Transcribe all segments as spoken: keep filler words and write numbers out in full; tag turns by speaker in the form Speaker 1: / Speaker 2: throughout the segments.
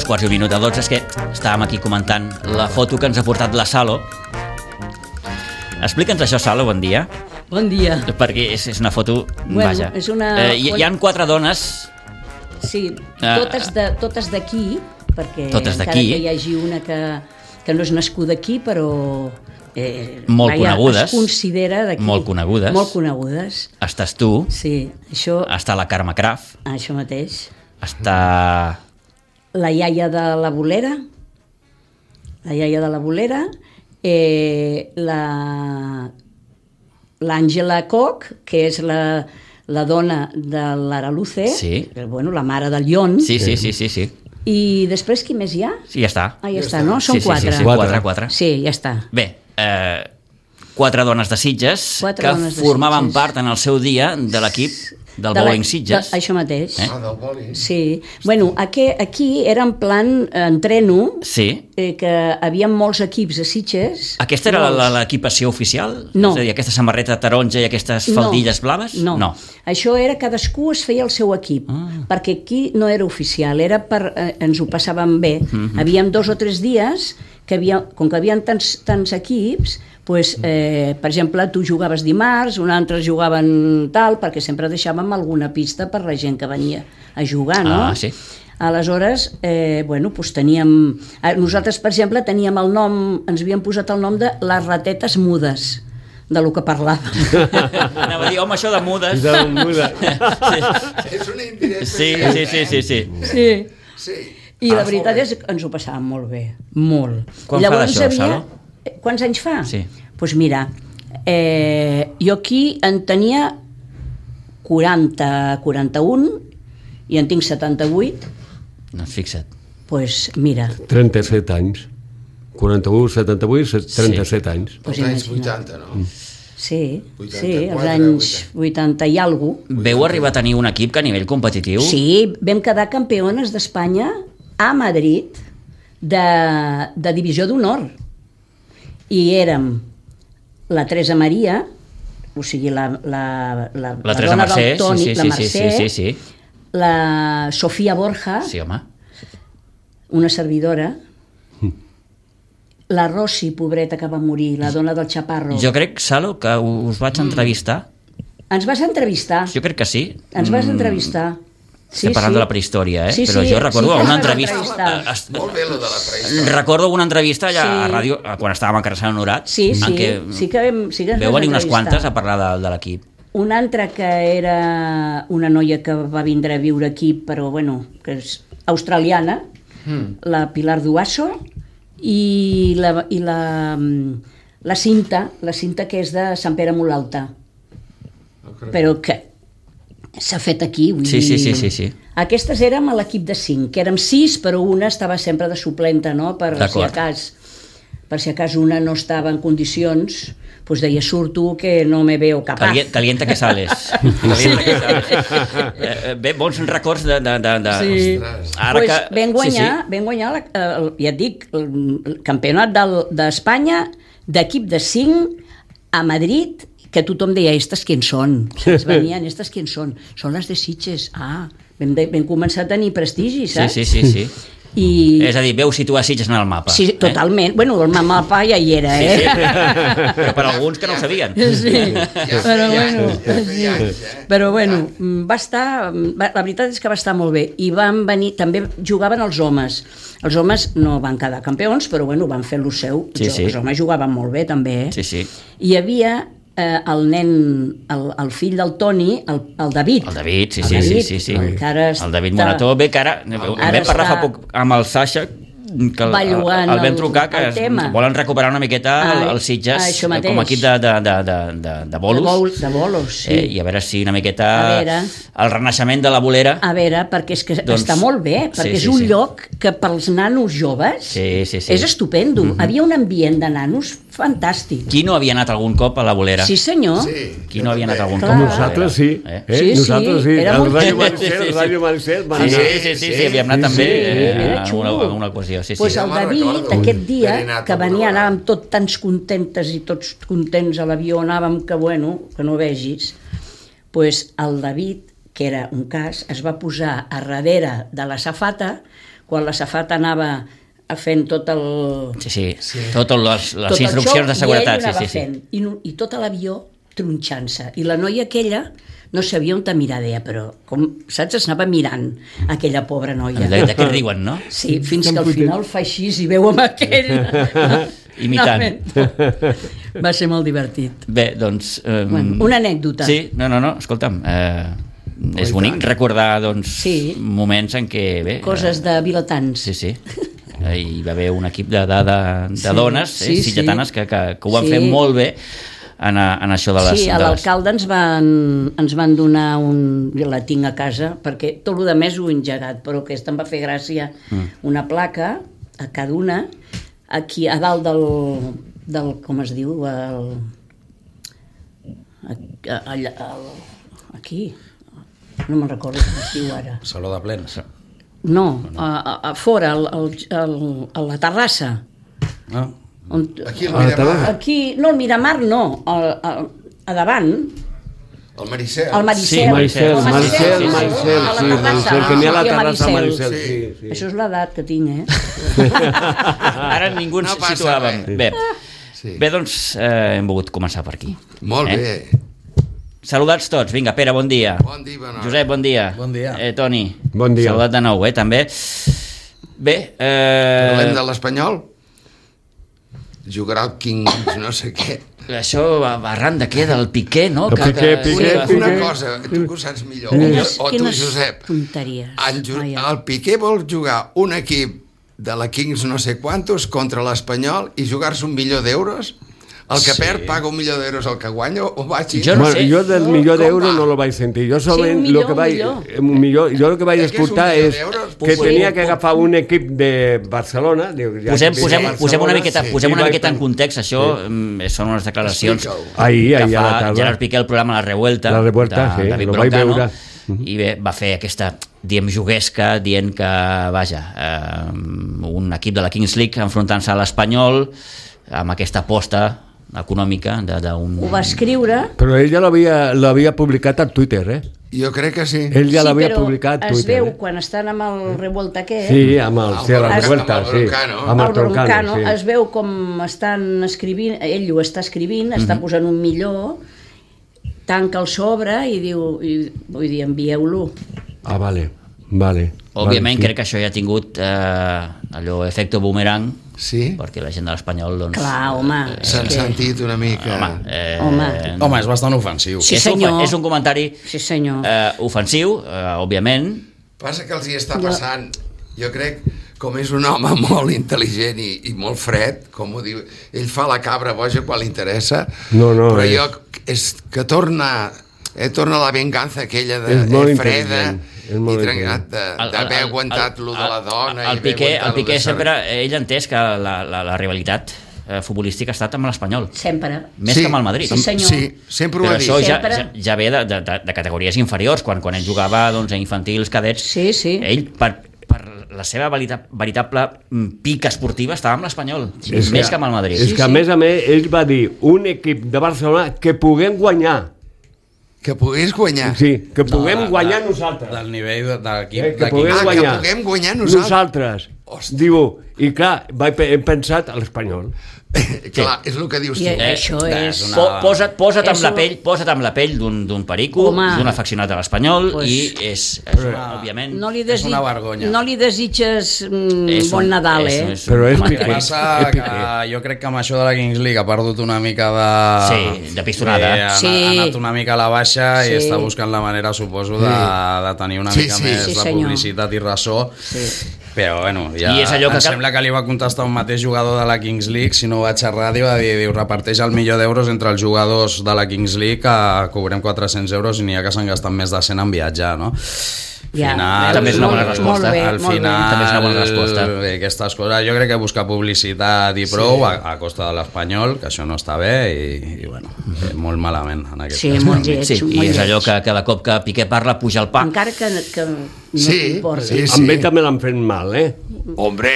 Speaker 1: Dos quarts i un minut de dotze, és que estàvem aquí comentant la foto que ens ha portat la Salo. Explica'ns això, Salo, bon dia.
Speaker 2: Bon dia.
Speaker 1: Perquè és, és una foto,
Speaker 2: bueno,
Speaker 1: vaja.
Speaker 2: És una...
Speaker 1: Eh, hi, hi ha quatre dones...
Speaker 2: Sí, totes de, totes d'aquí, perquè
Speaker 1: totes
Speaker 2: encara
Speaker 1: d'aquí.
Speaker 2: que hi hagi una que, que no és nascuda aquí, però... Eh,
Speaker 1: molt
Speaker 2: vaja,
Speaker 1: conegudes.
Speaker 2: Es considera d'aquí.
Speaker 1: Molt conegudes.
Speaker 2: Molt conegudes.
Speaker 1: Estàs tu.
Speaker 2: Sí, això...
Speaker 1: Està la Carme Craf.
Speaker 2: Això mateix.
Speaker 1: Està...
Speaker 2: La iaia de la Bolera. La iaia de la Bolera. Eh, la... L'Àngela Koch, que és la, la dona de l'Araluce,
Speaker 1: sí.
Speaker 2: Bueno, la mare del Llon.
Speaker 1: Sí, sí, sí, sí, sí.
Speaker 2: I després qui més hi ha?
Speaker 1: Sí, ja està.
Speaker 2: Ah, ja, ja està, està, no? Són
Speaker 1: sí,
Speaker 2: quatre.
Speaker 1: Sí, sí, sí, quatre, quatre.
Speaker 2: Sí, ja està.
Speaker 1: Bé, eh, quatre dones de Sitges
Speaker 2: quatre
Speaker 1: que
Speaker 2: dones de
Speaker 1: formaven
Speaker 2: Sitges.
Speaker 1: part en el seu dia de l'equip del
Speaker 2: de
Speaker 1: bowling
Speaker 2: la,
Speaker 1: Sitges.
Speaker 2: De, això mateix.
Speaker 1: Eh?
Speaker 3: Ah, del bowling.
Speaker 2: Sí. Bueno, aquí, aquí era en plan eh, entreno,
Speaker 1: Sí.
Speaker 2: eh, que havia molts equips a Sitges.
Speaker 1: Aquesta era la- l'equipació oficial?
Speaker 2: No.
Speaker 1: És a dir, aquesta samarreta taronja i aquestes faldilles
Speaker 2: no,
Speaker 1: blaves?
Speaker 2: No.
Speaker 1: no.
Speaker 2: Això era cadascú es feia el seu equip,
Speaker 1: Ah.
Speaker 2: perquè aquí no era oficial, era per, eh, ens ho passàvem bé.
Speaker 1: Mhm.
Speaker 2: Havíem dos o tres dies que havia, com que havien tants, tants equips, pues, eh, per exemple, tu jugaves dimarts, un altre jugaven tal, perquè sempre deixàvem alguna pista per la gent que venia a jugar, no?
Speaker 1: Ah, sí.
Speaker 2: Aleshores, eh, bueno, doncs teníem... eh, Nosaltres, per exemple, teníem el nom, ens havíem posat el nom de les ratetes mudes, de lo que parlàvem.
Speaker 1: Anava a dir, home, això de mudes...
Speaker 4: De muda.
Speaker 1: sí.
Speaker 3: És una indirecta.
Speaker 1: Sí, sí, sí, sí, sí.
Speaker 2: Sí.
Speaker 3: Sí.
Speaker 2: I la
Speaker 3: Ah,
Speaker 2: veritat
Speaker 3: molt bé.
Speaker 2: és que ens ho passàvem molt bé, molt.
Speaker 1: Quan
Speaker 2: I
Speaker 1: fa d'això,
Speaker 2: havia...
Speaker 1: Salo?
Speaker 2: Eh, Quants anys fa?
Speaker 1: Sí.
Speaker 2: Doncs pues mira, eh, jo aquí en tenia quaranta, quaranta-un i en tinc setanta-vuit,
Speaker 1: Doncs fixa't.
Speaker 2: doncs pues mira,
Speaker 4: trenta-set anys. quaranta-u, setanta-vuit, trenta-set anys.
Speaker 2: pues
Speaker 3: Els anys
Speaker 2: imagina't.
Speaker 3: vuitanta, no?
Speaker 2: Sí,
Speaker 3: vuitanta-quatre,
Speaker 2: sí, els anys vuitanta i alguna cosa.
Speaker 1: Veu arribar a tenir un equip que a nivell competitiu...
Speaker 2: Sí, vam quedar campiones d'Espanya a Madrid de, de divisió d'honor. I érem la Teresa Maria, o sigui, la, la, la,
Speaker 1: La Teresa
Speaker 2: dona
Speaker 1: Mercè,
Speaker 2: del Toni,
Speaker 1: sí, sí,
Speaker 2: la
Speaker 1: sí,
Speaker 2: Mercè,
Speaker 1: sí, sí, sí.
Speaker 2: la Sofia Borja,
Speaker 1: Sí, home.
Speaker 2: una servidora, la Rossi, pobreta, que va morir, la dona del Chaparro.
Speaker 1: Jo crec, Salo, que us vaig entrevistar.
Speaker 2: Ens vas entrevistar,
Speaker 1: Jo crec que sí.
Speaker 2: ens vas
Speaker 1: Mm,
Speaker 2: entrevistar.
Speaker 1: Estem parlant de la prehistòria, eh?
Speaker 2: Sí,
Speaker 1: Però
Speaker 2: sí,
Speaker 1: jo recordo
Speaker 2: sí que
Speaker 1: una
Speaker 2: ens vas
Speaker 1: entrevista...
Speaker 2: entrevistar.
Speaker 1: es-
Speaker 3: Molt bé, lo de la prehistòria.
Speaker 1: Recordo una entrevista allà a
Speaker 2: Sí.
Speaker 1: ràdio, quan estàvem a Carçana Honorat,
Speaker 2: Sí,
Speaker 1: en
Speaker 2: sí,
Speaker 1: què
Speaker 2: sí que vam, sí que ens
Speaker 1: veu
Speaker 2: vas
Speaker 1: venir unes
Speaker 2: entrevistar.
Speaker 1: quantes a parlar de, de l'equip.
Speaker 2: Una altra que era una noia que va vindre a viure aquí, però bueno, que és australiana, mm. la Pilar Duasso, i la, i la, la Cinta, la Cinta que és de Sant Pere molt Alta, però que s'ha fet aquí. Vull
Speaker 1: Sí, sí,
Speaker 2: dir...
Speaker 1: sí, sí, sí.
Speaker 2: Aquestes érem a l'equip de cinc, que érem sis, però una estava sempre de suplenta, no? Per si
Speaker 1: D'acord.
Speaker 2: a cas, per si a cas una no estava en condicions, doncs deia, surto que no me veo capaz.
Speaker 1: Calien, calienta que sales. Calienta que sales. Eh, eh, Bé, bons records de... de, de, de...
Speaker 2: Sí.
Speaker 1: Ara
Speaker 2: pues
Speaker 1: que...
Speaker 2: vam guanyar,
Speaker 1: Sí, sí.
Speaker 2: vam guanyar la, el, ja et dic, el, el campionat del- d'Espanya d'equip de cinc a Madrid, que tothom deia, estes qui són? Saps? Venien, estes qui són? Són les de Sitges. Ah, vam, de, vam començar a tenir prestigi,
Speaker 1: Sí,
Speaker 2: saps?
Speaker 1: sí, sí, sí.
Speaker 2: I...
Speaker 1: És a dir, veu situar Sitges en el mapa.
Speaker 2: Sí, totalment. Eh? Bueno, el mapa ja hi era,
Speaker 1: Sí,
Speaker 2: eh?
Speaker 1: sí. Però per alguns que no ho sabien.
Speaker 2: Sí,
Speaker 3: Ja
Speaker 2: però
Speaker 3: feia
Speaker 2: bueno,
Speaker 3: anys, ja feia
Speaker 2: sí.
Speaker 3: anys, eh?
Speaker 2: Però bueno, va estar, va, la veritat és que va estar molt bé, i van venir, també jugaven els homes, els homes no van quedar campions, però bueno, van fer lo seu,
Speaker 1: Sí, sí.
Speaker 2: els homes jugaven molt bé també, eh?
Speaker 1: Sí, sí.
Speaker 2: Hi havia eh, el nen, el, el fill del Toni, el, el David.
Speaker 1: El David, sí,
Speaker 2: El
Speaker 1: sí,
Speaker 2: David,
Speaker 1: sí, sí, sí.
Speaker 2: el que ara
Speaker 1: El David
Speaker 2: està-
Speaker 1: Morató, bé, que ara... Vam
Speaker 2: Ara
Speaker 1: parlar fa
Speaker 2: està-
Speaker 1: poc amb el Sasha, que el,
Speaker 2: Va
Speaker 1: el,
Speaker 2: llogant
Speaker 1: el vam
Speaker 2: el-
Speaker 1: trucar, que
Speaker 2: el
Speaker 1: es-
Speaker 2: tema.
Speaker 1: volen recuperar una miqueta el,
Speaker 2: Ah,
Speaker 1: el Sitges
Speaker 2: això
Speaker 1: eh,
Speaker 2: mateix.
Speaker 1: com a equip de, de, de, de, de, de bolos.
Speaker 2: De, bol, de bolos, sí.
Speaker 1: Eh, I a veure si una miqueta
Speaker 2: A veure.
Speaker 1: el renaixement de la bolera...
Speaker 2: A veure, perquè és que
Speaker 1: Doncs-
Speaker 2: està molt bé, perquè
Speaker 1: sí,
Speaker 2: és
Speaker 1: sí,
Speaker 2: un
Speaker 1: sí.
Speaker 2: lloc que pels nanos joves
Speaker 1: Sí, sí, sí.
Speaker 2: és estupendo.
Speaker 1: Mhm.
Speaker 2: Havia un ambient de nanos fantàstic.
Speaker 1: Qui no havia anat algun cop a la bolera?
Speaker 2: Sí, senyor.
Speaker 3: Sí,
Speaker 1: Qui no havia anat algun
Speaker 2: Clar.
Speaker 1: cop a la bolera?
Speaker 4: Nosaltres sí.
Speaker 1: Eh?
Speaker 4: Eh?
Speaker 2: Sí, sí,
Speaker 4: Nosaltres sí.
Speaker 2: era
Speaker 4: El
Speaker 2: molt
Speaker 4: Ràdio
Speaker 2: xulo.
Speaker 4: Maricel,
Speaker 1: Sí, sí.
Speaker 4: Ràdio Maricel, van
Speaker 1: Sí,
Speaker 4: anar.
Speaker 1: sí, sí, sí, sí, havíem anat
Speaker 4: Sí,
Speaker 1: també
Speaker 4: sí,
Speaker 1: eh,
Speaker 2: era
Speaker 1: a
Speaker 2: xulo.
Speaker 1: una, a una ocasió. Sí, sí.
Speaker 2: Pues
Speaker 3: Ja
Speaker 2: el
Speaker 3: me'n
Speaker 2: David,
Speaker 3: recordo.
Speaker 2: aquest dia,
Speaker 3: Haver anat
Speaker 2: que
Speaker 3: alguna
Speaker 2: venia,
Speaker 3: vegada.
Speaker 2: anàvem tots tants contentes i tots contents a l'avió, anàvem que, bueno, que no vegis, pues el David, que era un cas, es va posar a darrere de la safata quan la safata anava fent tot el...
Speaker 1: Sí, sí, sí. Totes les, les
Speaker 2: tot
Speaker 1: instruccions de seguretat.
Speaker 2: I ell
Speaker 1: Sí, sí,
Speaker 2: fent,
Speaker 1: sí.
Speaker 2: i, i tot l'avió tronxant-se. I la noia aquella no sabia on te mirar, deia, però, com, saps, es anava mirant aquella pobra noia.
Speaker 1: De, de què riuen, no?
Speaker 2: Sí, fins que al final fa així i veu amb aquell...
Speaker 1: Imitant.
Speaker 2: No, va ser molt divertit.
Speaker 1: Bé, doncs... Eh,
Speaker 2: Bueno, una anècdota.
Speaker 1: Sí, no, no, no, escolta'm, eh, és bonic recordar, doncs,
Speaker 2: Sí.
Speaker 1: moments en què... Bé,
Speaker 2: Coses de vilatans.
Speaker 1: Sí, sí. Eh, Hi va haver un equip de, de, de, de
Speaker 2: Sí,
Speaker 1: dones,
Speaker 2: sí,
Speaker 1: eh,
Speaker 2: sí.
Speaker 1: silletanes, que, que, que ho van
Speaker 2: Sí.
Speaker 1: fer molt bé en, a, en això de les...
Speaker 2: Sí, a
Speaker 1: de les...
Speaker 2: l'alcalde ens van, ens van donar un... Jo la tinc a casa, perquè tot el de més ho he engegat, però aquesta em va fer gràcia. Mm. Una placa, a cada una, aquí a dalt del... del com es diu? El, allà, el, aquí. No me'n recordo com es diu ara.
Speaker 3: Saló de plens.
Speaker 2: No, a, a, a fora, al, al, al, a la terrassa.
Speaker 3: Ah.
Speaker 2: On,
Speaker 5: Aquí al
Speaker 4: Ah,
Speaker 5: Miramar,
Speaker 2: aquí, no, el Miramar no, a, a, a davant,
Speaker 5: el Maricel.
Speaker 2: el Maricel.
Speaker 1: Sí,
Speaker 4: Maricel,
Speaker 2: El
Speaker 4: Maricel,
Speaker 1: sí, sí, sí.
Speaker 4: Maricel,
Speaker 2: A la
Speaker 4: sí,
Speaker 2: terrassa,
Speaker 4: Maricel, que n'hi ha a la
Speaker 2: sí, a
Speaker 4: terrassa
Speaker 2: Maricel.
Speaker 4: Maricel, sí, sí.
Speaker 2: Això és l'edat que tinc, eh?
Speaker 1: Ara ningú ens
Speaker 5: No passa
Speaker 1: situàvem.
Speaker 5: res.
Speaker 1: Bé,
Speaker 5: Sí.
Speaker 1: bé, doncs eh, hem volgut començar per aquí.
Speaker 5: Molt
Speaker 1: Eh?
Speaker 5: bé.
Speaker 1: Saludats tots. Vinga, Pere, bon dia.
Speaker 5: Bon dia, bona hora.
Speaker 1: Josep, bon dia.
Speaker 3: Bon dia.
Speaker 1: Eh, Toni.
Speaker 4: Bon dia.
Speaker 1: Saludat de nou, eh, també. Bé, eh...
Speaker 5: Parlem de l'Espanyol? Jugarà el Kings, no sé què.
Speaker 1: Això arran de què? Del Piqué, no?
Speaker 4: El Piqué, Piqué,
Speaker 5: Una,
Speaker 4: Piqué.
Speaker 5: una cosa, tu que ho saps millor,
Speaker 2: Quines,
Speaker 5: o tu,
Speaker 2: quines
Speaker 5: Josep.
Speaker 2: tonteries.
Speaker 5: En, Ju-
Speaker 2: Vaja.
Speaker 5: el Piqué vol jugar un equip de la Kings no sé quantos contra l'Espanyol i jugar-se un milió d'euros? El que
Speaker 3: Sí.
Speaker 5: perd paga un milió d'euros al que guanya o va així?
Speaker 1: Jo no
Speaker 4: Bueno,
Speaker 1: sé.
Speaker 4: jo del
Speaker 5: No,
Speaker 4: millor
Speaker 5: com
Speaker 4: d'euro
Speaker 5: va?
Speaker 4: no lo vaig sentir. Jo solament
Speaker 2: un millor,
Speaker 4: lo que vaig,
Speaker 2: un millor.
Speaker 4: un millor, jo el que vaig
Speaker 5: Eh, què és un
Speaker 4: escoltar
Speaker 5: milió
Speaker 4: és
Speaker 5: d'euros?
Speaker 4: que
Speaker 1: Sí.
Speaker 4: tenia que agafar un equip de Barcelona. Diu, ja
Speaker 1: Posem,
Speaker 4: que
Speaker 1: posem,
Speaker 4: ve de
Speaker 1: posem una
Speaker 4: Barcelona,
Speaker 1: miqueta,
Speaker 5: sí.
Speaker 1: posem
Speaker 4: I
Speaker 1: una
Speaker 4: vaig
Speaker 1: miqueta en
Speaker 4: pen-
Speaker 1: context. Això mm, són unes declaracions
Speaker 5: Explica-ho.
Speaker 4: Ahir,
Speaker 1: que
Speaker 4: ahir a la
Speaker 1: fa
Speaker 4: tarda.
Speaker 1: Gerard Piqué al programa La Revuelta,
Speaker 4: La Revuelta,
Speaker 1: de
Speaker 4: sí,
Speaker 1: David
Speaker 4: lo vaig
Speaker 1: Broncano,
Speaker 4: veure.
Speaker 1: i bé, va fer aquesta, diem, juguesca, dient que, vaja, eh, un equip de la Kings League enfrontant-se a l'Espanyol amb aquesta aposta econòmica de- d'un...
Speaker 2: Ho va escriure...
Speaker 4: Però ell ja l'havia l'havia publicat a Twitter, eh?
Speaker 5: Jo crec que sí.
Speaker 4: Ell ja
Speaker 2: sí,
Speaker 4: l'havia
Speaker 2: però
Speaker 4: publicat a
Speaker 2: es
Speaker 4: Twitter.
Speaker 2: veu
Speaker 4: eh?
Speaker 2: quan estan amb el revolta aquest,
Speaker 4: Sí, amb el,
Speaker 5: Amb
Speaker 4: sí,
Speaker 5: el
Speaker 4: la
Speaker 5: Broncano,
Speaker 4: revuelta,
Speaker 5: amb el
Speaker 4: sí.
Speaker 5: Broncano.
Speaker 4: Amb el
Speaker 2: el Broncano,
Speaker 4: Broncano, sí.
Speaker 2: es veu com estan escrivint, ell ho està escrivint, està posant un millor, tanca el sobre i diu, i, vull dir, envieu-lo.
Speaker 4: Ah, vale, vale.
Speaker 1: Òbviament,
Speaker 4: vale,
Speaker 1: crec que això ja ha tingut eh, allò, efecte boomerang,
Speaker 5: Sí?
Speaker 1: perquè la gent de l'Espanyol, doncs...
Speaker 2: Clar, home.
Speaker 5: S'han
Speaker 2: és que-
Speaker 5: sentit una mica...
Speaker 1: Home, eh,
Speaker 2: Home.
Speaker 3: Home, és bastant ofensiu.
Speaker 2: Sí,
Speaker 1: és, un,
Speaker 2: senyor.
Speaker 1: és un comentari
Speaker 2: Sí, senyor.
Speaker 1: eh, ofensiu, eh, òbviament.
Speaker 5: Passa que els hi està passant, jo crec, com és un home molt intel·ligent i, i molt fred, com ho diu, ell fa la cabra boja quan li interessa,
Speaker 4: No, no,
Speaker 5: però
Speaker 4: és-
Speaker 5: jo, és que torna, eh, torna la venganza aquella de,
Speaker 4: És molt
Speaker 5: eh, freda
Speaker 4: intel·ligent, és molt
Speaker 5: i trencat
Speaker 1: El- el-
Speaker 5: d'haver
Speaker 1: el-
Speaker 5: aguantat
Speaker 1: el-
Speaker 5: lo de la dona
Speaker 1: el
Speaker 5: i haver
Speaker 1: Piqué, el
Speaker 5: aguantat lo
Speaker 1: Piqué
Speaker 5: de
Speaker 1: sempre,
Speaker 5: Sarri.
Speaker 1: ell ha entès que la, la, la rivalitat eh, futbolística ha estat amb l'Espanyol,
Speaker 2: Sempre.
Speaker 1: més
Speaker 5: Sí,
Speaker 1: que amb el Madrid.
Speaker 2: Sí, senyor.
Speaker 5: Sí, sempre ho
Speaker 1: Però
Speaker 5: ha dit.
Speaker 1: això ja,
Speaker 2: Sempre.
Speaker 1: ja, ja ve de, de, de, de categories inferiors, quan, quan ell jugava doncs, a infantils, cadets,
Speaker 2: Sí, sí.
Speaker 1: ell per, per la seva verita, veritable mm, pica esportiva estava amb l'Espanyol,
Speaker 4: És
Speaker 1: més que amb el Madrid.
Speaker 4: És
Speaker 2: Sí,
Speaker 4: que a
Speaker 2: sí.
Speaker 4: més a més ell va dir un equip de Barcelona que puguem guanyar.
Speaker 5: Que pogués guanyar.
Speaker 4: Sí, que puguem
Speaker 3: de-
Speaker 4: guanyar
Speaker 3: de-
Speaker 4: nosaltres.
Speaker 3: Del nivell de, de l'equip.
Speaker 4: Eh, que
Speaker 3: de
Speaker 4: puguem
Speaker 5: Ah, que
Speaker 4: guanyar.
Speaker 5: puguem guanyar nosaltres.
Speaker 4: Nosaltres.
Speaker 5: Hòstia.
Speaker 4: Diu, i clar, vaig, pe- hem pensat a l'Espanyol.
Speaker 5: Clar, és el que dius tu.
Speaker 2: I això
Speaker 3: eh,
Speaker 2: és...
Speaker 3: és una-
Speaker 1: Po, posa't, posa't amb
Speaker 2: Eso-
Speaker 1: la pell, posa't amb la pell d'un d'un perico,
Speaker 2: Home.
Speaker 1: d'un afeccionat a l'Espanyol,
Speaker 2: Pues-
Speaker 1: i és, és una, òbviament...
Speaker 2: No li,
Speaker 3: És
Speaker 2: desig...
Speaker 3: una vergonya.
Speaker 2: no li desitges mm,
Speaker 1: és un-
Speaker 2: bon Nadal,
Speaker 1: és-
Speaker 2: eh?
Speaker 1: és un
Speaker 4: Però és
Speaker 1: comentari.
Speaker 3: El que passa
Speaker 4: És
Speaker 3: que
Speaker 4: Piqué.
Speaker 3: jo crec que amb això de la Kings League ha perdut una mica de...
Speaker 1: Sí, de pistonada.
Speaker 3: Eh, ha,
Speaker 2: Sí.
Speaker 3: ha anat una mica a la baixa
Speaker 2: Sí.
Speaker 3: i està buscant la manera, suposo, de, de tenir una
Speaker 5: Sí,
Speaker 3: mica
Speaker 5: sí.
Speaker 3: més
Speaker 2: Sí,
Speaker 3: de
Speaker 2: senyor.
Speaker 3: publicitat i ressò.
Speaker 2: Sí.
Speaker 3: Però, bueno, ja
Speaker 1: I és allò que
Speaker 3: em
Speaker 1: cal-
Speaker 3: sembla que li va contestar un mateix jugador de la Kings League, si no ho vaig a ràdio, va dir, diu, reparteix el milió d'euros entre els jugadors de la Kings League, que cobrem quatre-cents euros i n'hi ha que s'han gastat més de cent en viatjar, no?
Speaker 2: Ja,
Speaker 3: Final,
Speaker 1: també és una bona
Speaker 2: molt-
Speaker 1: resposta.
Speaker 2: Molt bé,
Speaker 3: al
Speaker 2: molt
Speaker 3: final,
Speaker 2: bé.
Speaker 1: També és una bona resposta.
Speaker 3: Bé, aquestes coses, jo crec que buscar publicitat i prou sí. a, a costa de l'Espanyol, que això no està bé i, i bueno, eh, molt malament en aquest
Speaker 2: Sí,
Speaker 3: cas.
Speaker 2: molt lleig,
Speaker 1: Sí, i
Speaker 2: molt
Speaker 1: és allò
Speaker 2: lleig.
Speaker 1: que cada cop que Piqué parla puja el pa.
Speaker 2: Encara que, que no
Speaker 5: Sí,
Speaker 2: t'importa.
Speaker 5: sí,
Speaker 4: Amb
Speaker 5: sí.
Speaker 4: ell també l'han fet mal, eh?
Speaker 5: Hombre,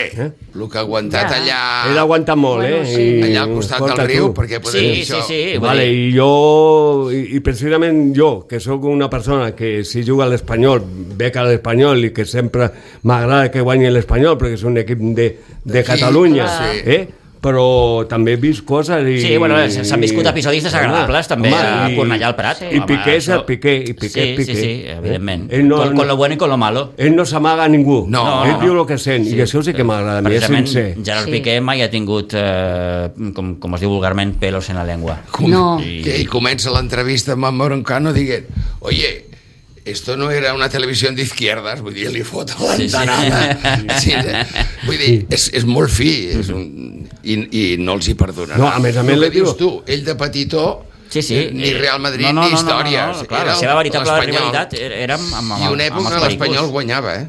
Speaker 5: el que ha aguantat
Speaker 2: Ja.
Speaker 5: allà...
Speaker 4: He d'aguantar molt,
Speaker 2: Bueno,
Speaker 4: eh?
Speaker 2: sí.
Speaker 4: I,
Speaker 5: Allà al costat del
Speaker 4: escolta,
Speaker 5: riu,
Speaker 4: tu.
Speaker 5: perquè podem
Speaker 1: Sí,
Speaker 5: dir
Speaker 1: sí,
Speaker 5: això.
Speaker 1: sí. vull
Speaker 4: Vale,
Speaker 1: dir,
Speaker 4: i jo, i, i precisament jo, que sóc una persona que si juga a l'Espanyol, bec a l'Espanyol i que sempre m'agrada que guanyi l'Espanyol perquè és un equip de, de
Speaker 5: D'aquí,
Speaker 4: Catalunya,
Speaker 5: sí.
Speaker 4: eh? Però també he vist coses i...
Speaker 1: Sí, bueno, s'han viscut episodis desagradables també a Cornellà al Prat.
Speaker 4: I
Speaker 1: Home,
Speaker 4: Piqué és el
Speaker 1: això-
Speaker 4: Piqué, i Piqué
Speaker 1: sí,
Speaker 4: és Piqué.
Speaker 1: Sí, sí, evidentment.
Speaker 4: Eh? Ell no,
Speaker 1: con, con lo bueno i con lo malo.
Speaker 4: ell no s'amaga a ningú.
Speaker 5: No,
Speaker 4: ell
Speaker 5: no,
Speaker 4: diu
Speaker 5: no.
Speaker 4: el que sent, i això sí que m'agrada, a mi és
Speaker 1: Precisament,
Speaker 4: sincer.
Speaker 1: Gerard
Speaker 2: Sí.
Speaker 1: Piqué mai ha tingut, eh, com, com es diu vulgarment, pelos en la llengua.
Speaker 5: Com,
Speaker 2: No.
Speaker 5: Que ell comença l'entrevista amb en Broncano dient, oye, esto no era una televisió de izquierdas, vull dir, li fot a l'entanada. Sí, sí. Vull dir, és, és molt fi, és un, i, i no els hi perdonarà.
Speaker 4: No, a més a més
Speaker 5: el
Speaker 4: li
Speaker 5: que dius
Speaker 4: diu-
Speaker 5: tu, ell de petitó,
Speaker 1: Sí, sí.
Speaker 5: ni Real Madrid
Speaker 1: no, no,
Speaker 5: ni
Speaker 1: no, no,
Speaker 5: històries.
Speaker 1: No, no, clar,
Speaker 5: Era
Speaker 1: la seva veritable
Speaker 5: l'Espanyol.
Speaker 1: rivalitat era, era amb, amb, amb,
Speaker 5: I una
Speaker 1: amb
Speaker 5: època
Speaker 1: els
Speaker 5: l'Espanyol
Speaker 1: pericos.
Speaker 5: guanyava, eh?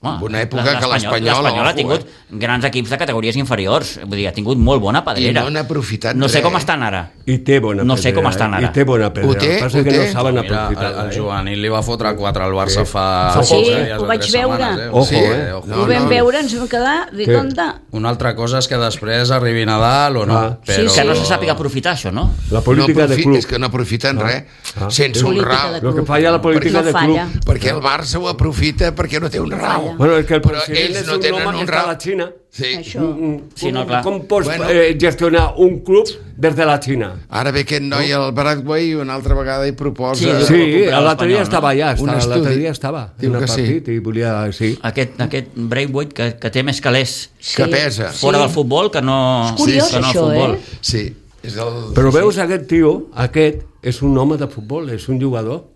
Speaker 1: Home,
Speaker 5: una època que l'Espanyol...
Speaker 1: l'Espanyol ha
Speaker 5: ojo,
Speaker 1: tingut
Speaker 5: eh?
Speaker 1: grans equips de categories inferiors, vull dir, ha tingut molt bona pedrera.
Speaker 5: I no n'ha aprofitat
Speaker 1: No sé
Speaker 5: res.
Speaker 1: com estan ara.
Speaker 4: I té bona
Speaker 1: No sé
Speaker 4: pedrera,
Speaker 1: com estan ara.
Speaker 4: I té bona pedrera.
Speaker 5: Ho té,
Speaker 4: El que passa
Speaker 5: ho
Speaker 4: que
Speaker 5: té.
Speaker 4: no saben
Speaker 3: Mira, el,
Speaker 4: aprofitar-la.
Speaker 3: el
Speaker 4: eh?
Speaker 3: juvenil li va fotre quatre al Barça fa...
Speaker 2: Fa
Speaker 3: fa
Speaker 2: poc,
Speaker 3: dies
Speaker 2: eh?
Speaker 3: o
Speaker 2: Ho vaig
Speaker 3: tres
Speaker 2: veure.
Speaker 3: setmanes,
Speaker 4: Ojo,
Speaker 5: Sí,
Speaker 4: eh?
Speaker 3: ojo.
Speaker 5: No,
Speaker 2: Ho vam
Speaker 5: no.
Speaker 2: veure, ens vam quedar, dic,
Speaker 4: Què?
Speaker 2: on de?
Speaker 3: Una altra cosa és que després arribi Nadal o no,
Speaker 4: Ah.
Speaker 3: però...
Speaker 2: Sí,
Speaker 1: Que no se sàpiga aprofitar això, no?
Speaker 4: La
Speaker 5: No
Speaker 4: política de
Speaker 5: aprofi-
Speaker 4: club.
Speaker 5: És que no aprofiten res,
Speaker 4: Ah.
Speaker 5: sense un
Speaker 2: Política
Speaker 5: ral.
Speaker 2: de
Speaker 4: El que falla la política
Speaker 2: No
Speaker 4: de
Speaker 2: falla.
Speaker 4: club.
Speaker 5: Perquè el Barça ho aprofita perquè no té un ral.
Speaker 4: Bueno, és que el
Speaker 5: Però
Speaker 4: president
Speaker 5: ells
Speaker 4: és
Speaker 5: no
Speaker 4: un
Speaker 5: tenen
Speaker 4: home
Speaker 5: un
Speaker 4: que està a
Speaker 5: ral.
Speaker 4: la Xina.
Speaker 5: Sí.
Speaker 2: Això.
Speaker 1: Sí, no, clar.
Speaker 4: Com pots
Speaker 5: Bueno.
Speaker 4: eh, gestionar un club des de la Xina?
Speaker 5: Ara ve aquest noi al Broadway i una altra vegada hi proposa...
Speaker 1: Sí, diu-
Speaker 4: Sí,
Speaker 1: recuperar
Speaker 4: l'altre dia
Speaker 1: l'Espanyol,
Speaker 4: estava allà,
Speaker 5: Un
Speaker 4: estava, l'altre
Speaker 5: estudi.
Speaker 4: dia estava
Speaker 5: Diu
Speaker 4: en el
Speaker 5: que sí.
Speaker 4: partit i volia... Sí.
Speaker 1: Aquest, aquest Braithwaite que, que té més calés
Speaker 5: Que pesa.
Speaker 1: fora del futbol que no,
Speaker 2: És curiós,
Speaker 1: que no al
Speaker 2: això,
Speaker 1: futbol.
Speaker 2: eh?
Speaker 5: Sí, és el...
Speaker 4: Però veus aquest tio, aquest és un home de futbol, és un jugador.